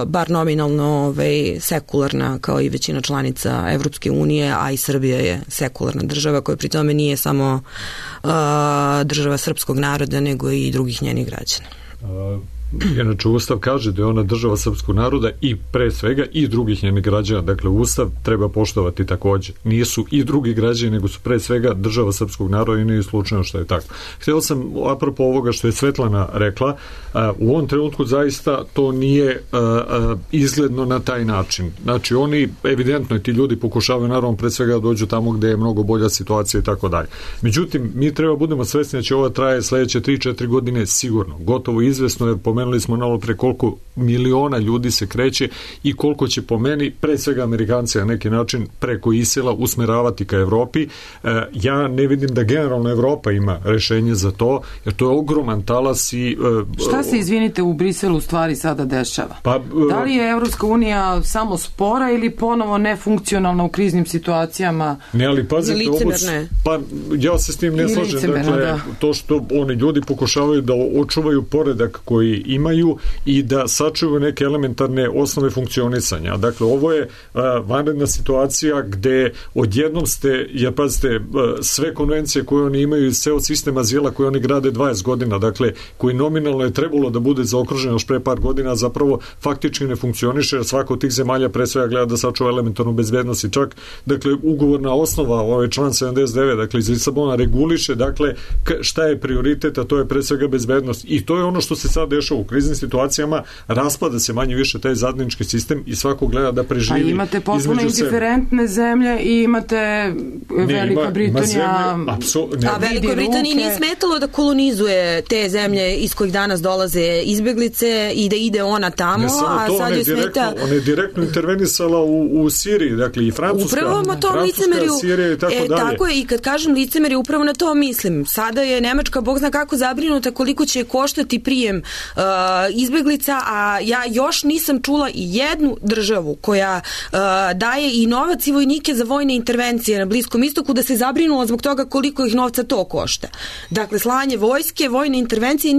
bar nominalno sekularna kao i većina članica Evropske unije, a i Srbija je sekularna država koja pri tome nije samo država srpskog naroda nego i drugih njenih građana. inače Ustav kaže da je ona država srpskog naroda i pre svega i drugih njenih građana, dakle Ustav treba poštovati takođe. Nisu i drugi građani, nego su pre svega država srpskog naroda i nije slučajno što je tako. Hteo sam, apropo ovoga što je Svetlana rekla, u ovom trenutku zaista to nije izgledno na taj način. Znači oni, evidentno ti ljudi pokušavaju naravno pre svega da dođu tamo gde je mnogo bolja situacija i tako dalje. Međutim, mi treba budemo svesni da će ova traje sledeće 3-4 godine sigurno. Gotovo izvesno je, pomenuli smo malo pre koliko miliona ljudi se kreće i koliko će po meni, pre svega Amerikanci na neki način preko Isila usmeravati ka Evropi. Ja ne vidim da generalno Evropa ima rešenje za to, jer to je ogroman talas i... Šta se, izvinite, u Briselu stvari sada dešava? Da li je Evropska unija samo spora ili ponovo nefunkcionalna u kriznim situacijama? Ne, ali pazite, pa ja se s tim ne slažem. Dakle, to što oni ljudi pokušavaju da očuvaju poredak koji imaju i da sačuvaju neke elementarne osnove funkcionisanja. Dakle, ovo je vanredna situacija gde odjednom ste, pazite, sve konvencije koje oni imaju i ceo sistem azila koje oni grade 20 godina, dakle, koji nominalno je trebalo da bude zaokružen još pre par godina, zapravo faktički ne funkcioniše, jer svaka od tih zemalja pre svega gleda da sačuva elementarnu bezbednost i čak, dakle, ugovorna osnova, ovaj član 79, dakle, iz Lisabona reguliše, dakle, šta je prioritet, a to je pre svega bezbednost. I to je ono što se sad dešava u kriznim situacijama, raspada se manje više taj zajednički sistem i svako gleda da preživi. A imate potpuno indiferentne zemlje i imate Velika Britanija. A Velikoj Britaniji nije smetalo da kolonizuje te zemlje iz kojih danas dolaze izbeglice i da ide ona tamo, a sad joj smeta... Ona je direktno intervenisala u Siriji, dakle i Francuska, Sirija i tako dalje. Tako je, i kad kažem licemerje, upravo na to mislim. Sada je Nemačka, Bog zna kako, zabrinuta koliko će koštati prijem izbeglica, a ja još nisam čula i jednu državu koja daje i novac i vojnike za vojne intervencije na Bliskom istoku da se zabrinula zbog toga koliko ih novca to košta. Dakle, slanje vojske, vojne intervencije,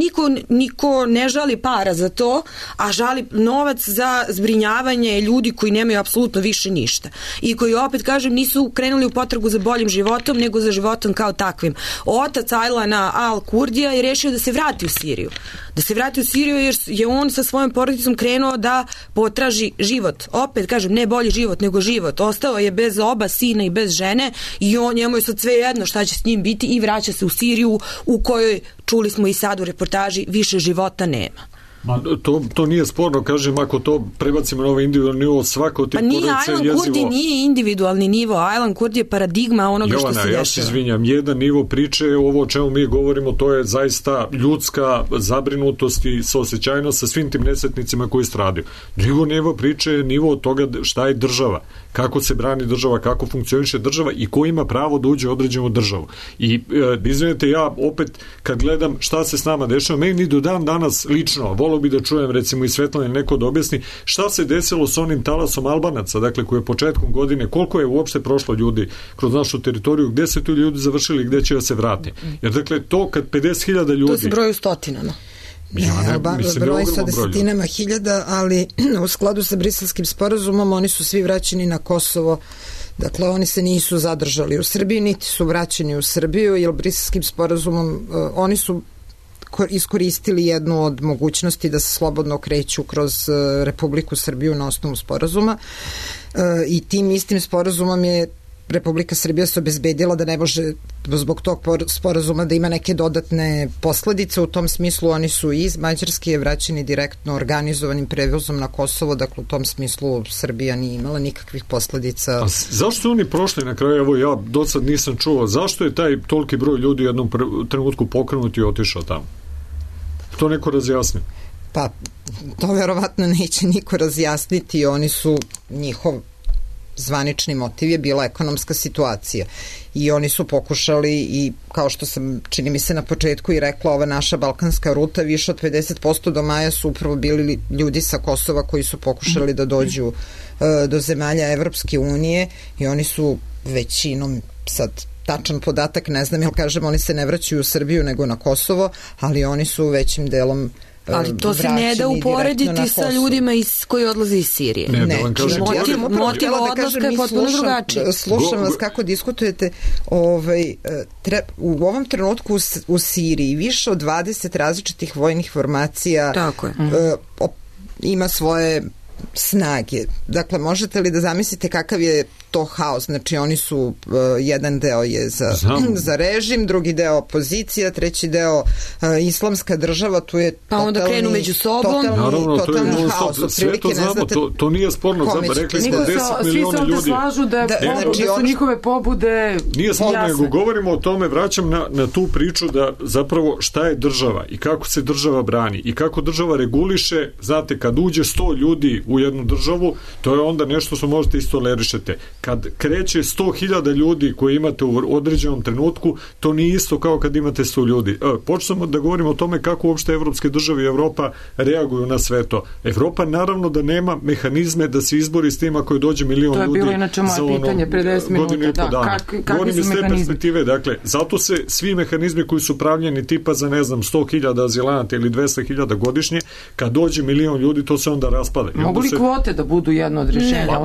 niko ne žali para za to, a žali novac za zbrinjavanje ljudi koji nemaju apsolutno više ništa. I koji, opet kažem, nisu krenuli u potragu za boljim životom, nego za životom kao takvim. Otac Ajlana Al-Kurdija je rešio da se vrati u Siriju. Da se vrati u Siriju jer je on sa svojom porodicom krenuo da potraži život. Opet kažem, ne bolji život, nego život. Ostao je bez oba sina i bez žene i njemu je sad sve jedno šta će s njim biti i vraća se u Siriju u kojoj, čuli smo i sad u reportaži, više života nema. To nije sporno, kažem, ako to prebacimo na ovaj individualni nivo, svako od tih porodica je jezivo. Ajlan Kurdi nije individualni nivo, Ajlan Kurdi je paradigma onoga što se dešava. Ja se izvinjam, jedan nivo priče, ovo o čemu mi govorimo, to je zaista ljudska zabrinutost i saosećajnost sa svim tim nesretnicima koji stradaju. Drugo nivo priče je nivo od toga šta je država, kako se brani država, kako funkcioniše država i ko ima pravo da uđe u određenu državu. I izvinite, ja opet kad gledam šta se s nama dešava, meni do dan danas lično, volio bi da čujem recimo i Svetlana neko da objasni šta se desilo s onim talasom Albanaca, dakle koji je početkom godine, koliko je uopšte prošlo ljudi kroz našu teritoriju, gde se tu ljudi završili i gde će da se vrati. Jer dakle to kad 50.000 ljudi... To se broju stotinama. Broj sa desetinama hiljada, ali u skladu sa Briselskim sporazumom oni su svi vraćeni na Kosovo. Dakle, oni se nisu zadržali u Srbiji, niti su vraćeni u Srbiju, jer Briselskim sporazumom oni su iskoristili jednu od mogućnosti da se slobodno kreću kroz Republiku Srbiju na osnovu sporazuma i tim istim sporazumom je Republika Srbija se obezbedila da ne može zbog tog sporazuma da ima neke dodatne posledice. U tom smislu oni su iz Mađarske vraćeni direktno organizovanim prevozom na Kosovo, dakle u tom smislu Srbija nije imala nikakvih posledica. A zašto su oni prošli na kraju? Evo ja do sad nisam čuo. Zašto je taj toliki broj ljudi u jednom trenutku pokrenut i otišao tamo? To neko razjasni? Pa, to verovatno neće niko razjasniti. Oni su, njihov zvanični motiv je bila ekonomska situacija i oni su pokušali i kao što sam čini mi se na početku i rekla, ova naša balkanska ruta, više od 50% do maja su upravo bili ljudi sa Kosova koji su pokušali da dođu do zemalja Evropske unije i oni su većinom, sad tačan podatak ne znam, jer kažem oni se ne vraćaju u Srbiju nego na Kosovo, ali oni su većim delom ali to se ne da uporediti sa ljudima koji odlaze iz Sirije. Ne, motiv odlaska je potpuno drugačiji. Slušam vas kako diskutujete. U ovom trenutku u Siriji više od 20 različitih vojnih formacija ima svoje snage. Dakle, možete li da zamislite kakav je to haos? Znači, oni su, jedan deo je za režim, drugi deo opozicija, treći deo islamska država, tu je pa onda krenu među sobom. Totalni haos. Sve to znamo, to nije sporno. Rekli smo 10 miliona ljudi. Svi se ovde slažu da su njihove pobude nije sporno, nego govorimo o tome, vraćam na tu priču da zapravo šta je država i kako se država brani i kako država reguliše. Znate, kad uđe 100 ljudi u jednu državu, to je onda nešto što možete istolerišete. Kad kreće 100.000 ljudi koje imate u određenom trenutku, to nije isto kao kad imate 100 ljudi. Počnemo da govorimo o tome kako uopšte evropske države i Evropa reaguju na sve to. Evropa naravno da nema mehanizme da se izbori s tim ako dođe milion ljudi. To je bilo inače moje pitanje pre 10 minuta. Govorim iz te perspektive, dakle, zato se svi mehanizmi koji su pravljeni tipa za, ne znam, 100.000 azilanata ili 200.000 godišnje, kad dođe milion ljudi, to se onda raspada. Mogu li kvote da budu jedno od rješenja?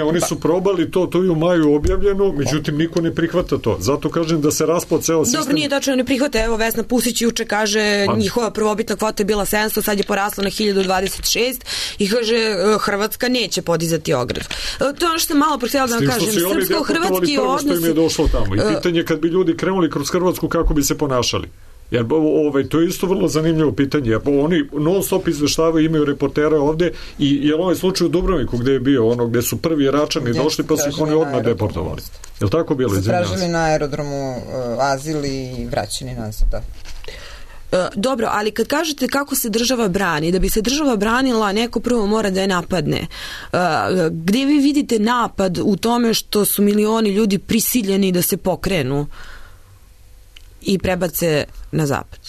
Oni su probali to je u maju objavljeno, međutim niko ne prihvata to. Zato kažem da se raspao ceo sistem. Dobro, nije tačno, ne prihvata. Evo, Vesna Pusić juče kaže njihova prvobitna kvota je bila 700, sad je porasla na 1026 i kaže Hrvatska neće podizati ogradu. To je ono što sam malo htjela da vam kažem. Srpsko-hrvatski odnos... Što im je došlo tamo. I pitanje kad bi ljudi krenuli kroz Hrvatsku, kako bi se ponašali. Jer to je isto vrlo zanimljivo pitanje. Oni non stop izveštavaju, imaju reportera ovde i je ovaj slučaj u Dubrovniku gde je bio gde su prvi Račani došli pa su ih oni odmah deportovali. Je li tako bilo? Tražili na aerodromu azil i vraćeni nazad, da. Dobro, ali kad kažete kako se država brani, da bi se država branila, neko prvo mora da je napadne. Gdje vi vidite napad u tome što su milioni ljudi prisiljeni da se pokrenu i prebace na zapad?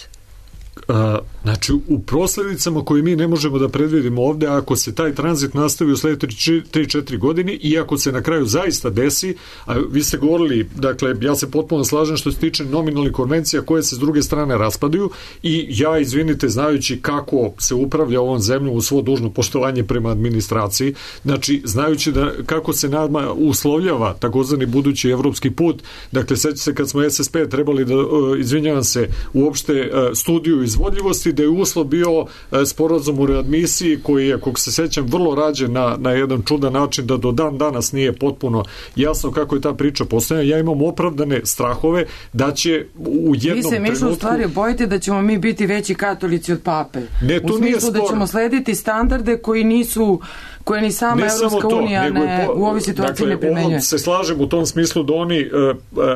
Znači, u prosledicama koje mi ne možemo da predvidimo ovde, ako se taj tranzit nastavi u sledeće 3-4 godine i ako se na kraju zaista desi, a vi ste govorili, dakle, ja se potpuno slažem što se tiče nominalnih konvencija koje se s druge strane raspadaju i ja, izvinite, znajući kako se upravlja ovom zemljom u svo dužno poštovanje prema administraciji, znači, znajući da kako se nama uslovljava takozvani budući evropski put, dakle, sećate se kad smo SSP trebali da, izvinjavam se, uopšte studiju izvodljivosti, da je uslov bio sporazum u readmisiji koji je, kako se sećam, vrlo rađen na jedan čudan način da do dan danas nije potpuno jasno kako je ta priča postavljena. Ja imam opravdane strahove da će u jednom trenutku... Vi se Mišo u stvari bojite da ćemo mi biti veći katolici od pape. Ne, to nije spor. U smislu da ćemo slediti standarde koji nisu, koje ni sama Evropska unija u ovoj situaciji ne primenjuje. Se slažem u tom smislu da oni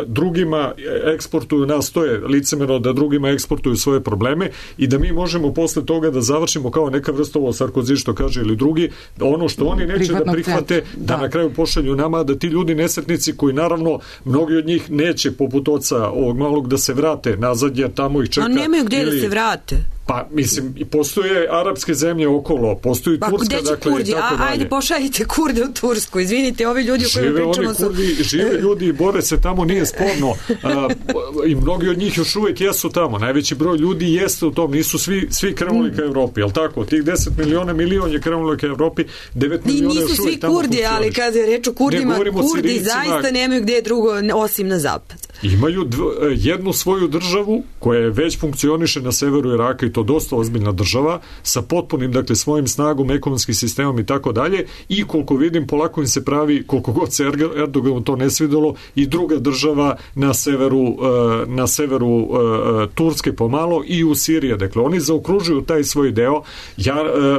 drugima eksportuju, nastoje licemerno da drugima eksportuju svoje probleme i da mi možemo posle toga da završimo kao neka vrsta ovo Sarkozy što kaže ili drugi, ono što oni neće da prihvate, da na kraju pošalju nama, da ti ljudi nesretnici koji naravno mnogi od njih neće poput oca ovog malog da se vrate nazad, jer tamo ih čeka. A nemaju gde da se vrate. Pa, mislim, postoje arapske zemlje okolo, postoji Turska, gde će dakle, Kurdi? Ajde, pošaljite Kurde u Tursku, izvinite, ovi ljudi o kojima pričamo su... Žive ljudi i bore se tamo, nije sporno. I mnogi od njih još uvijek jesu tamo. Najveći broj ljudi jeste u tom, nisu svi krenuli ka Evropi, jel tako? Tih 10 miliona, milion je krenuli ka Evropi, 9 miliona još uvijek tamo funkcioniš. Nisu svi Kurdi, ali kada je reč o Kurdima, Kurdi zaista nemaju gde drugo osim na zapad. Imaju jednu svoju državu koja je već funkcioniše na severu Iraka i to dosta ozbiljna država sa potpunim, dakle, svojim snagom, ekonomskim sistemom i tako dalje i koliko vidim polako im se pravi, koliko god se Erdoganu to ne svidelo, i druga država na severu Turske pomalo i u Siriji. Dakle, oni zaokružuju taj svoj deo.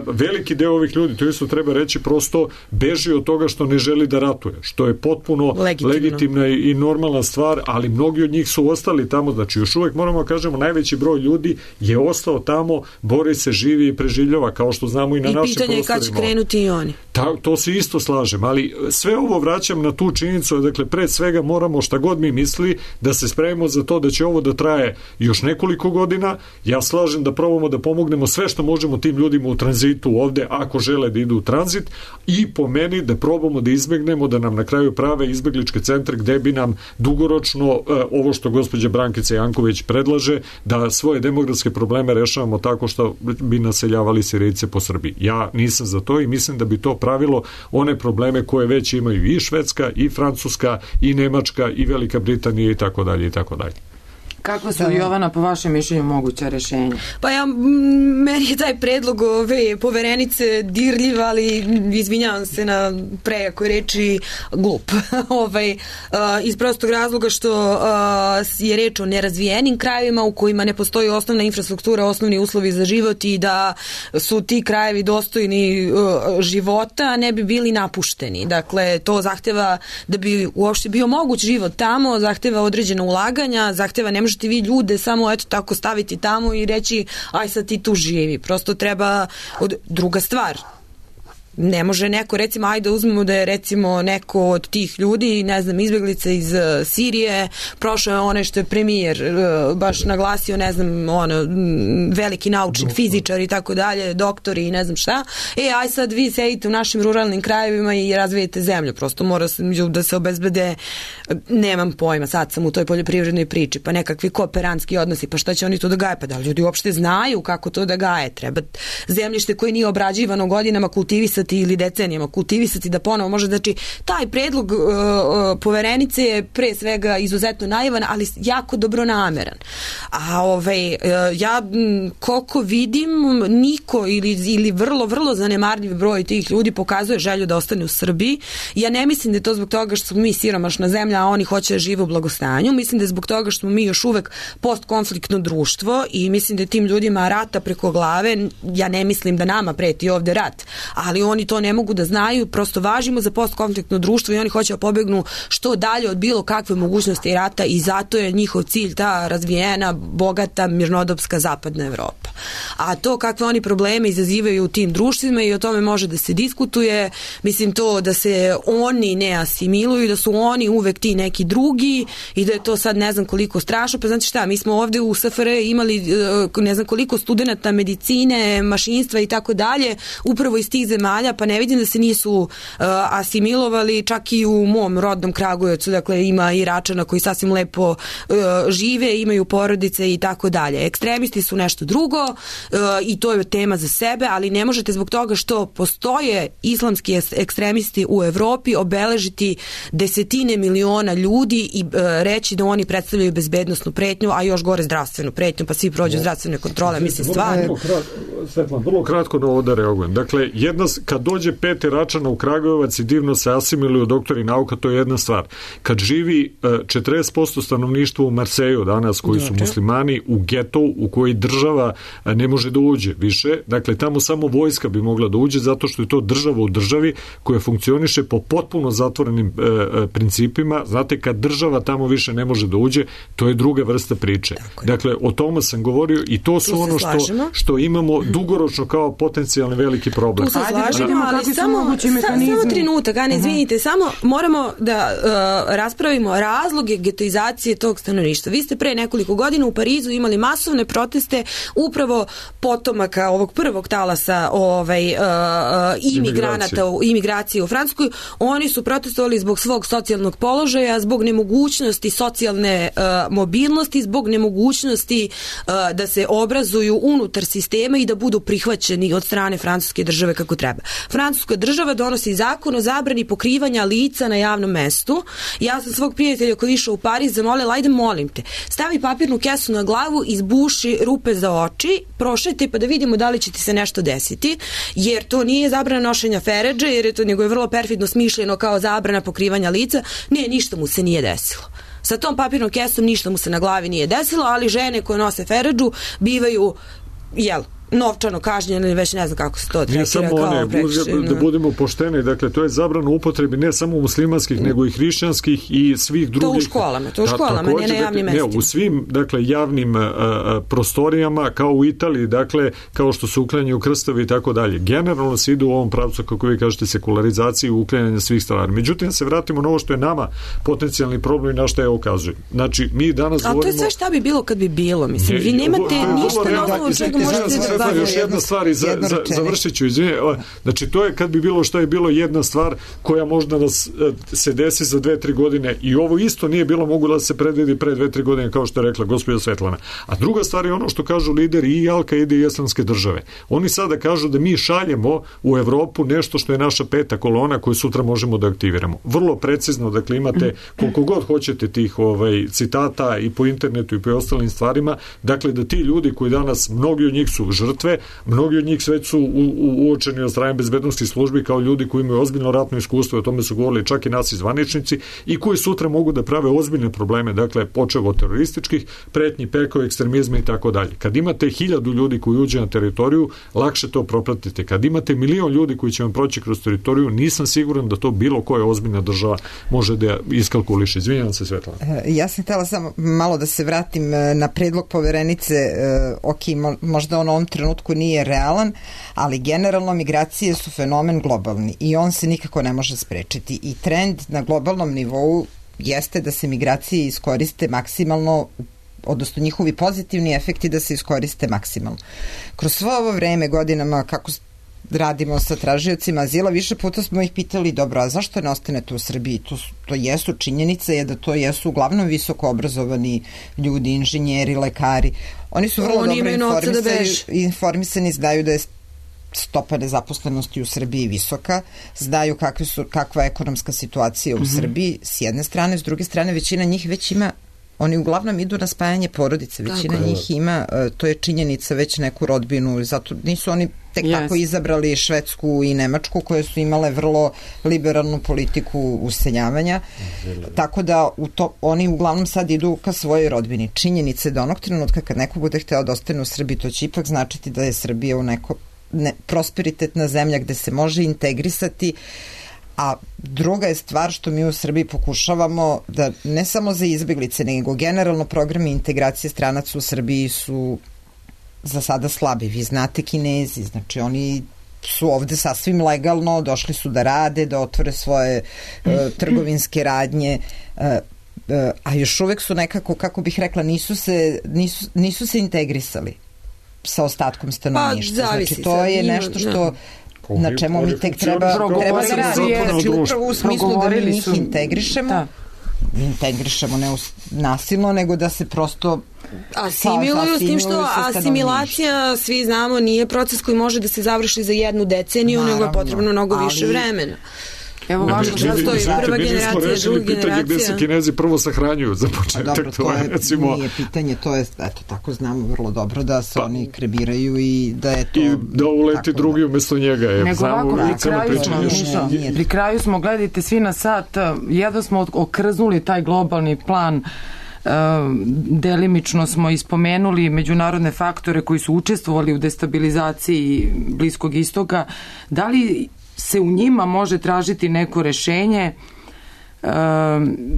Veliki deo ovih ljudi, to isto treba reći, prosto beži od toga što ne želi da ratuje, što je potpuno legitimna i normalna stvar, ali mnogi od njih su ostali tamo, znači još uvek moramo da kažemo, najveći broj ljudi je ostao tamo, bori se, živi i preživljava, kao što znamo i na našim prostorima. I pitanje je kad će krenuti i oni. To se isto slažem, ali sve ovo vraćam na tu činjenicu, dakle, pred svega moramo, šta god mi misli, da se spremimo za to da će ovo da traje još nekoliko godina. Ja slažem da probamo da pomognemo sve što možemo tim ljudima u tranzitu ovde, ako žele da idu u tranzit, i po meni da probamo da izbegnemo da nam na kraju prave izbegličke centre gde bi nam dugoročno ovo što gospođa Brankica Janković predlaže, da svoje demografske probleme rešavamo tako što bi naseljavali Sirijce po Srbiji. Ja nisam za to i mislim da bi to pravilo one probleme koje već imaju i Švedska, i Francuska, i Nemačka, i Velika Britanija i tako dalje i tako dalje. Kako su, Jovana, po vašem mišljenju moguća rešenja? Pa meni je taj predlog ove poverenice dirljiv, ali izvinjavam se na prejakoj reči, glup. Iz prostog razloga što je reč o nerazvijenim krajevima u kojima ne postoji osnovna infrastruktura, osnovni uslovi za život i da su ti krajevi dostojni života, ne bi bili napušteni. Dakle, to zahteva da bi uopšte bio moguć život tamo, zahteva određena ulaganja, zahteva ne možete vi ljude samo eto tako staviti tamo i reći aj sad ti tu živi. Prosto treba druga stvar. Ne može neko, recimo, ajde uzmemo da je recimo neko od tih ljudi, ne znam, izbeglica iz Sirije, prošao je onaj što je premijer baš naglasio, ne znam, veliki naučnik, fizičar i tako dalje, doktori i ne znam šta. Aj sad vi sedite u našim ruralnim krajevima i razvijete zemlju. Prosto mora da se obezbede, nemam pojma, sad sam u toj poljoprivrednoj priči, pa nekakvi kooperantski odnosi, pa šta će oni to da gaje? Pa da ljudi uopšte znaju kako to da gaje? Treba zemljište koje nije obrađivano godinama kultivisati ili decenijama kultivisati da ponovo može, znači taj predlog poverenice je pre svega izuzetno naivan, ali jako dobronameran. A ja koliko vidim, niko ili vrlo zanemarljiv broj tih ljudi pokazuje želju da ostane u Srbiji. Ja ne mislim da je to zbog toga što smo mi siromašna zemlja, a oni hoće da žive u blagostanju. Mislim da je zbog toga što smo mi još uvek postkonfliktno društvo i mislim da je tim ljudima rata preko glave. Ja ne mislim da nama preti ovde rat, ali oni to ne mogu da znaju, prosto važimo za postkonfliktno društvo i oni hoće da pobegnu što dalje od bilo kakve mogućnosti rata i zato je njihov cilj ta razvijena, bogata, mirnodopska zapadna Evropa. A to kakve oni probleme izazivaju u tim društvima i o tome može da se diskutuje, mislim to da se oni ne asimiluju, da su oni uvek ti neki drugi i da je to sad ne znam koliko strašno, pa znate šta, mi smo ovde u SFRJ imali ne znam koliko studenata medicine, mašinstva i tako dalje, upravo iz tih zemalja, pa ne vidim da se nisu asimilovali, čak i u mom rodnom Kragujevcu, dakle ima Iračana koji sasvim lepo žive, imaju porodice i tako dalje. Ekstremisti su nešto drugo i to je tema za sebe, ali ne možete zbog toga što postoje islamski ekstremisti u Evropi obeležiti desetine miliona ljudi i reći da oni predstavljaju bezbednosnu pretnju, a još gore zdravstvenu pretnju, pa svi prođu zdravstvene kontrole, mislim stvarno. Svetlan, vrlo kratko na ovo da reagujem. Dakle, kad dođe 5 Iračana u Kragujevac i divno se asimiluju doktori nauka, to je jedna stvar. Kad živi 40% stanovništva u Marseju danas, koji su muslimani, u getu u koji država ne može da uđe više, dakle, tamo samo vojska bi mogla da uđe, zato što je to država u državi koja funkcioniše po potpuno zatvorenim principima. Znate, kad država tamo više ne može da uđe, to je druga vrsta priče. Dakle, o tome sam govorio i to su ono što imamo dugoročno kao potencijalni veliki problem. Tu se slažemo, ali samo trenutak, izvinite, samo moramo da raspravimo razloge getoizacije tog stanovništva. Vi ste pre nekoliko godina u Parizu imali masovne proteste upravo potomaka ovog prvog talasa imigracije u Francuskoj. Oni su protestovali zbog svog socijalnog položaja, zbog nemogućnosti socijalne mobilnosti, zbog nemogućnosti da se obrazuju unutar sistema i da budu prihvaćeni od strane francuske države kako treba. Francuska država donosi zakon o zabrani pokrivanja lica na javnom mestu. Ja sam svog prijatelja koji je išao u Pariz zamolila, ajde molim te, stavi papirnu kesu na glavu, izbuši rupe za oči, prošajte pa da vidimo da li će ti se nešto desiti, jer to nije zabrana nošenja feredže, jer je to nego je vrlo perfidno smišljeno kao zabrana pokrivanja lica. Ne, ništa mu se nije desilo. Sa tom papirnom kesom ništa mu se na glavi nije desilo, ali žene koje nose feredžu bivaju novčano kažnjen ili već ne znam kako se to tretira kao prekršaj. Da budemo pošteni, dakle to je zabrana upotrebi ne samo muslimanskih nego i hrišćanskih i svih drugih. To u školama, nije na javnim mestima. U svim, dakle, javnim prostorijama, kao u Italiji, dakle, kao što se uklanjaju krstovi i tako dalje. Generalno se ide u ovom pravcu, kako vi kažete, sekularizaciji i uklanjanja svih stvari. Međutim, se vratimo na ovo što je nama potencijalni problem i na što je ukazujem. Znači, mi danas govorimo... A to je sve šta bi bilo kad bi bilo, mislim. Vi nemate ništa na osnovu čega možete da bavite. Još jedna stvar i završit ću, znači, to je kad bi bilo šta je bilo jedna stvar koja možda nas se desi za 2-3 godine i ovo isto nije bilo moglo da se predvidi pre 2-3 godine, kao što je rekla gospođa Svetlana. A druga stvar je ono što kažu lideri i Al-Kaide i Islamske države. Oni sada kažu da mi šaljemo u Evropu nešto što je naša peta kolona koju sutra možemo da aktiviramo. Vrlo precizno, dakle imate koliko god hoćete tih citata i po internetu i po ostalim stvarima, dakle da ti ljudi koji danas, mnogi od njih su žrtve, mnogi od njih već su uočeni od strane bezbednosnih službi kao ljudi koji imaju ozbiljno ratno iskustvo, o tome su govorili čak i naši zvaničnici i koji sutra mogu da prave ozbiljne probleme, dakle počev od terorističkih pretnji, preko ekstremizma i tako dalje. Kad imate 1000 ljudi koji uđe na teritoriju, lakše to propratite. Kad imate 1.000.000 ljudi koji će vam proći kroz teritoriju, nisam siguran da to bilo koja ozbiljna država može da iskalkuliše. Izvinjavam se, Svetlana. Ja sam htjela samo malo da se vratim na predlog poverenice. Možda on u ovom trenutku nije realan, ali generalno migracije su fenomen globalni i on se nikako ne može sprečiti. I trend na globalnom nivou jeste da se migracije iskoriste maksimalno, odnosno njihovi pozitivni efekti da se iskoriste maksimalno. Kroz svo ovo vreme, godinama, kako radimo sa tražiocima azila, više puta smo ih pitali, dobro, a zašto ne ostanete u Srbiji? To jesu, činjenica je da to jesu uglavnom visoko obrazovani ljudi, inženjeri, lekari. Oni su vrlo dobro informisani, znaju da je stopa nezaposlenosti u Srbiji visoka, znaju kakva je ekonomska situacija u Srbiji, s jedne strane, s druge strane, većina njih već ima, oni uglavnom idu na spajanje porodice, većina njih ima, to je činjenica, već neku rodbinu, zato nisu oni tek tako izabrali Švedsku i Nemačku, koje su imale vrlo liberalnu politiku useljavanja, tako da oni uglavnom sad idu ka svojoj rodbini. Činjenica je da onog trenutka kad neko bude hteo da ostane u Srbiji, to će ipak značiti da je Srbija u neko prosperitetna zemlja gde se može integrisati. A druga je stvar što mi u Srbiji pokušavamo da ne samo za izbeglice, nego generalno programi integracije stranaca u Srbiji su za sada slabi. Vi znate Kinezi, znači oni su ovde sasvim legalno, došli su da rade, da otvore svoje trgovinske radnje, a još uvek su nekako, kako bih rekla, nisu se integrisali sa ostatkom stanovništva. Znači to je nešto što na čemu mi tek treba da radimo. Znači upravo u smislu da mi njih integrišemo, ne nasilno, nego da se prosto asimiluju, s tim što asimilacija, svi znamo, nije proces koji može da se završi za 1 deceniju, nego je potrebno mnogo više vremena. Evo važno da stoji prva generacija, druga generacija. Gde se Kinezi prvo sahranjuju za početak. Dobro, to nije pitanje, to je, eto, tako znamo vrlo dobro da se oni krebiraju i da je to... I da uleti drugi umesto njega. Nego ovako, pri kraju smo, gledajte svi na sat, jedno smo okrznuli taj globalni plan, delimično smo ispomenuli međunarodne faktore koji su učestvovali u destabilizaciji Bliskog istoka. Da li se u njima može tražiti neko rešenje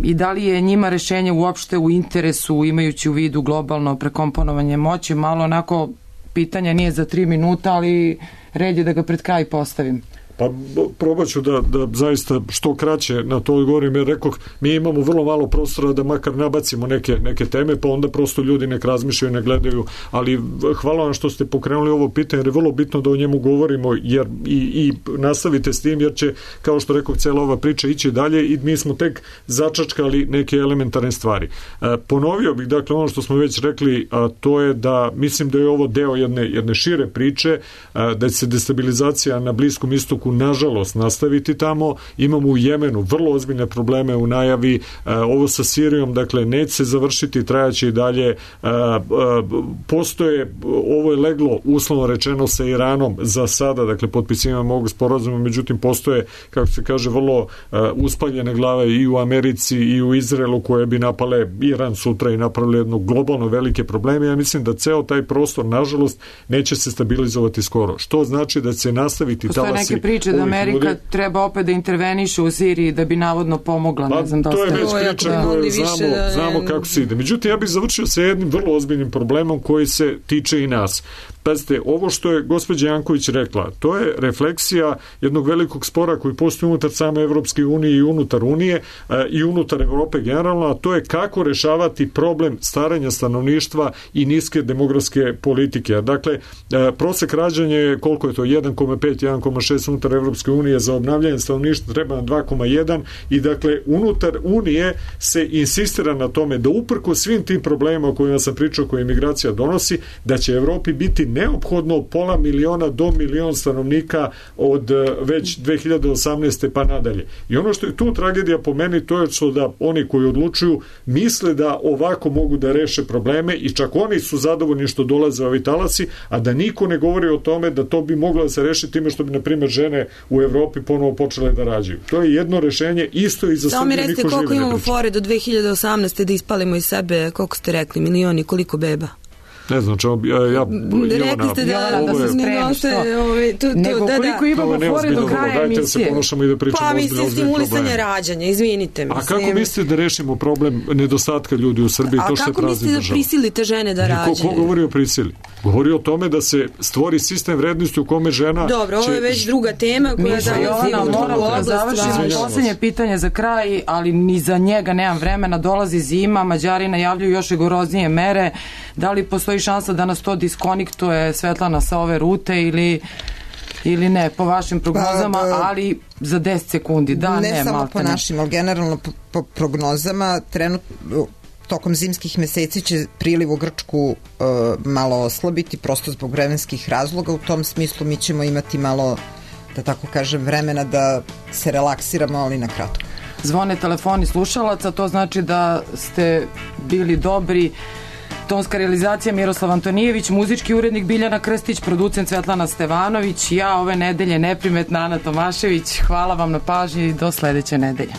i da li je njima rešenje uopšte u interesu, imajući u vidu globalno prekomponovanje moći? Malo onako pitanje nije za 3 minuta, ali red je da ga pred kraj postavim. Pa probat ću da zaista što kraće na to odgovorim, jer rekoh, mi imamo vrlo malo prostora da makar nabacimo neke teme, pa onda prosto ljudi nek razmišljaju, ne gledaju, ali hvala vam što ste pokrenuli ovo pitanje, jer je vrlo bitno da o njemu govorimo, jer i nastavite s tim, jer će, kao što rekoh, cijela ova priča ići dalje i mi smo tek začačkali neke elementarne stvari. Ponovio bih, dakle, ono što smo već rekli, a to je da mislim da je ovo deo jedne šire priče, da se destabilizacija na Bliskom istoku trenutku nažalost nastaviti tamo. Imamo u Jemenu vrlo ozbiljne probleme u najavi, ovo sa Sirijom, dakle, neće se završiti, trajaće i dalje. Postoje, ovo je leglo uslovno rečeno sa Iranom za sada, dakle, potpisivanje ovog sporazuma, međutim, postoje, kako se kaže, vrlo uspaljene glave i u Americi i u Izraelu koje bi napale Iran sutra i napravili jedno globalno velike probleme. Ja mislim da ceo taj prostor, nažalost, neće se stabilizovati skoro. Što znači da će se nastaviti talasi. Postoje neke priče da Amerika treba opet da interveniše u Siriji da bi navodno pomogla. Ne znam da to je već priča koju znamo kako se ide. Međutim, ja bih završio sa jednim vrlo ozbiljnim problemom koji se tiče i nas. Pazite, ovo što je gospođa Janković rekla, to je refleksija jednog velikog spora koji postoji unutar same Evropske unije i unutar Unije i unutar Evrope generalno, a to je kako rešavati problem starenja stanovništva i niske demografske politike. Dakle, prosek rađanja je, koliko je to, 1,5, 1,6 unutar Evropske unije, za obnavljanje stanovništva treba na 2,1 i dakle, unutar Unije se insistira na tome da uprko svim tim problemima o kojima sam pričao, koje imigracija donosi, da će Evropi biti neophodno pola miliona do milion stanovnika od već 2018. pa nadalje. I ono što je tu tragedija po meni, to je što da oni koji odlučuju misle da ovako mogu da reše probleme i čak oni su zadovoljni što dolaze ovi talasi, a da niko ne govori o tome da to bi moglo da se reši time što bi, na primjer, žene u Evropi ponovo počele da rađaju. To je jedno rešenje, isto i za Srbiju niko žive ne priča. Samo mi recite koliko imamo fore do 2018. da ispalimo iz sebe, koliko ste rekli, milioni, koliko beba? Ne znam, rekli ste da se spremiš nego koliko imamo fore do kraja emisije. Pa mislim stimulisanje rađanja, izvinite. A kako mislite da rešimo problem nedostatka ljudi u Srbiji? A kako mislite da prisilite žene da rađaju? Ko govori o prisili? Govori o tome da se stvori sistem vrednosti u kome žena... Dobro, ovo je već druga tema koja moramo da završimo. Poslednje pitanje za kraj, ali ni za njega nemam vremena. Dolazi zima, Mađari najavljuju još rigoroznije mere. Da li postoji šansa da nas to diskoniktuje, Svetlana, sa ove rute ili ne, po vašim prognozama, ali za 10 sekundi, da, ne samo po našim, ali generalno po prognozama, trenutno tokom zimskih meseci će priliv u Grčku malo oslabiti, prosto zbog vremenskih razloga. U tom smislu mi ćemo imati malo, da tako kažem, vremena da se relaksiramo, ali na kratko. Zvone telefoni slušalaca, to znači da ste bili dobri. Tonska realizacija Miroslav Antonijević, muzički urednik Biljana Krstić, producent Svetlana Stevanović, ja ove nedelje neprimetna Ana Tomašević. Hvala vam na pažnji i do sledeće nedelje.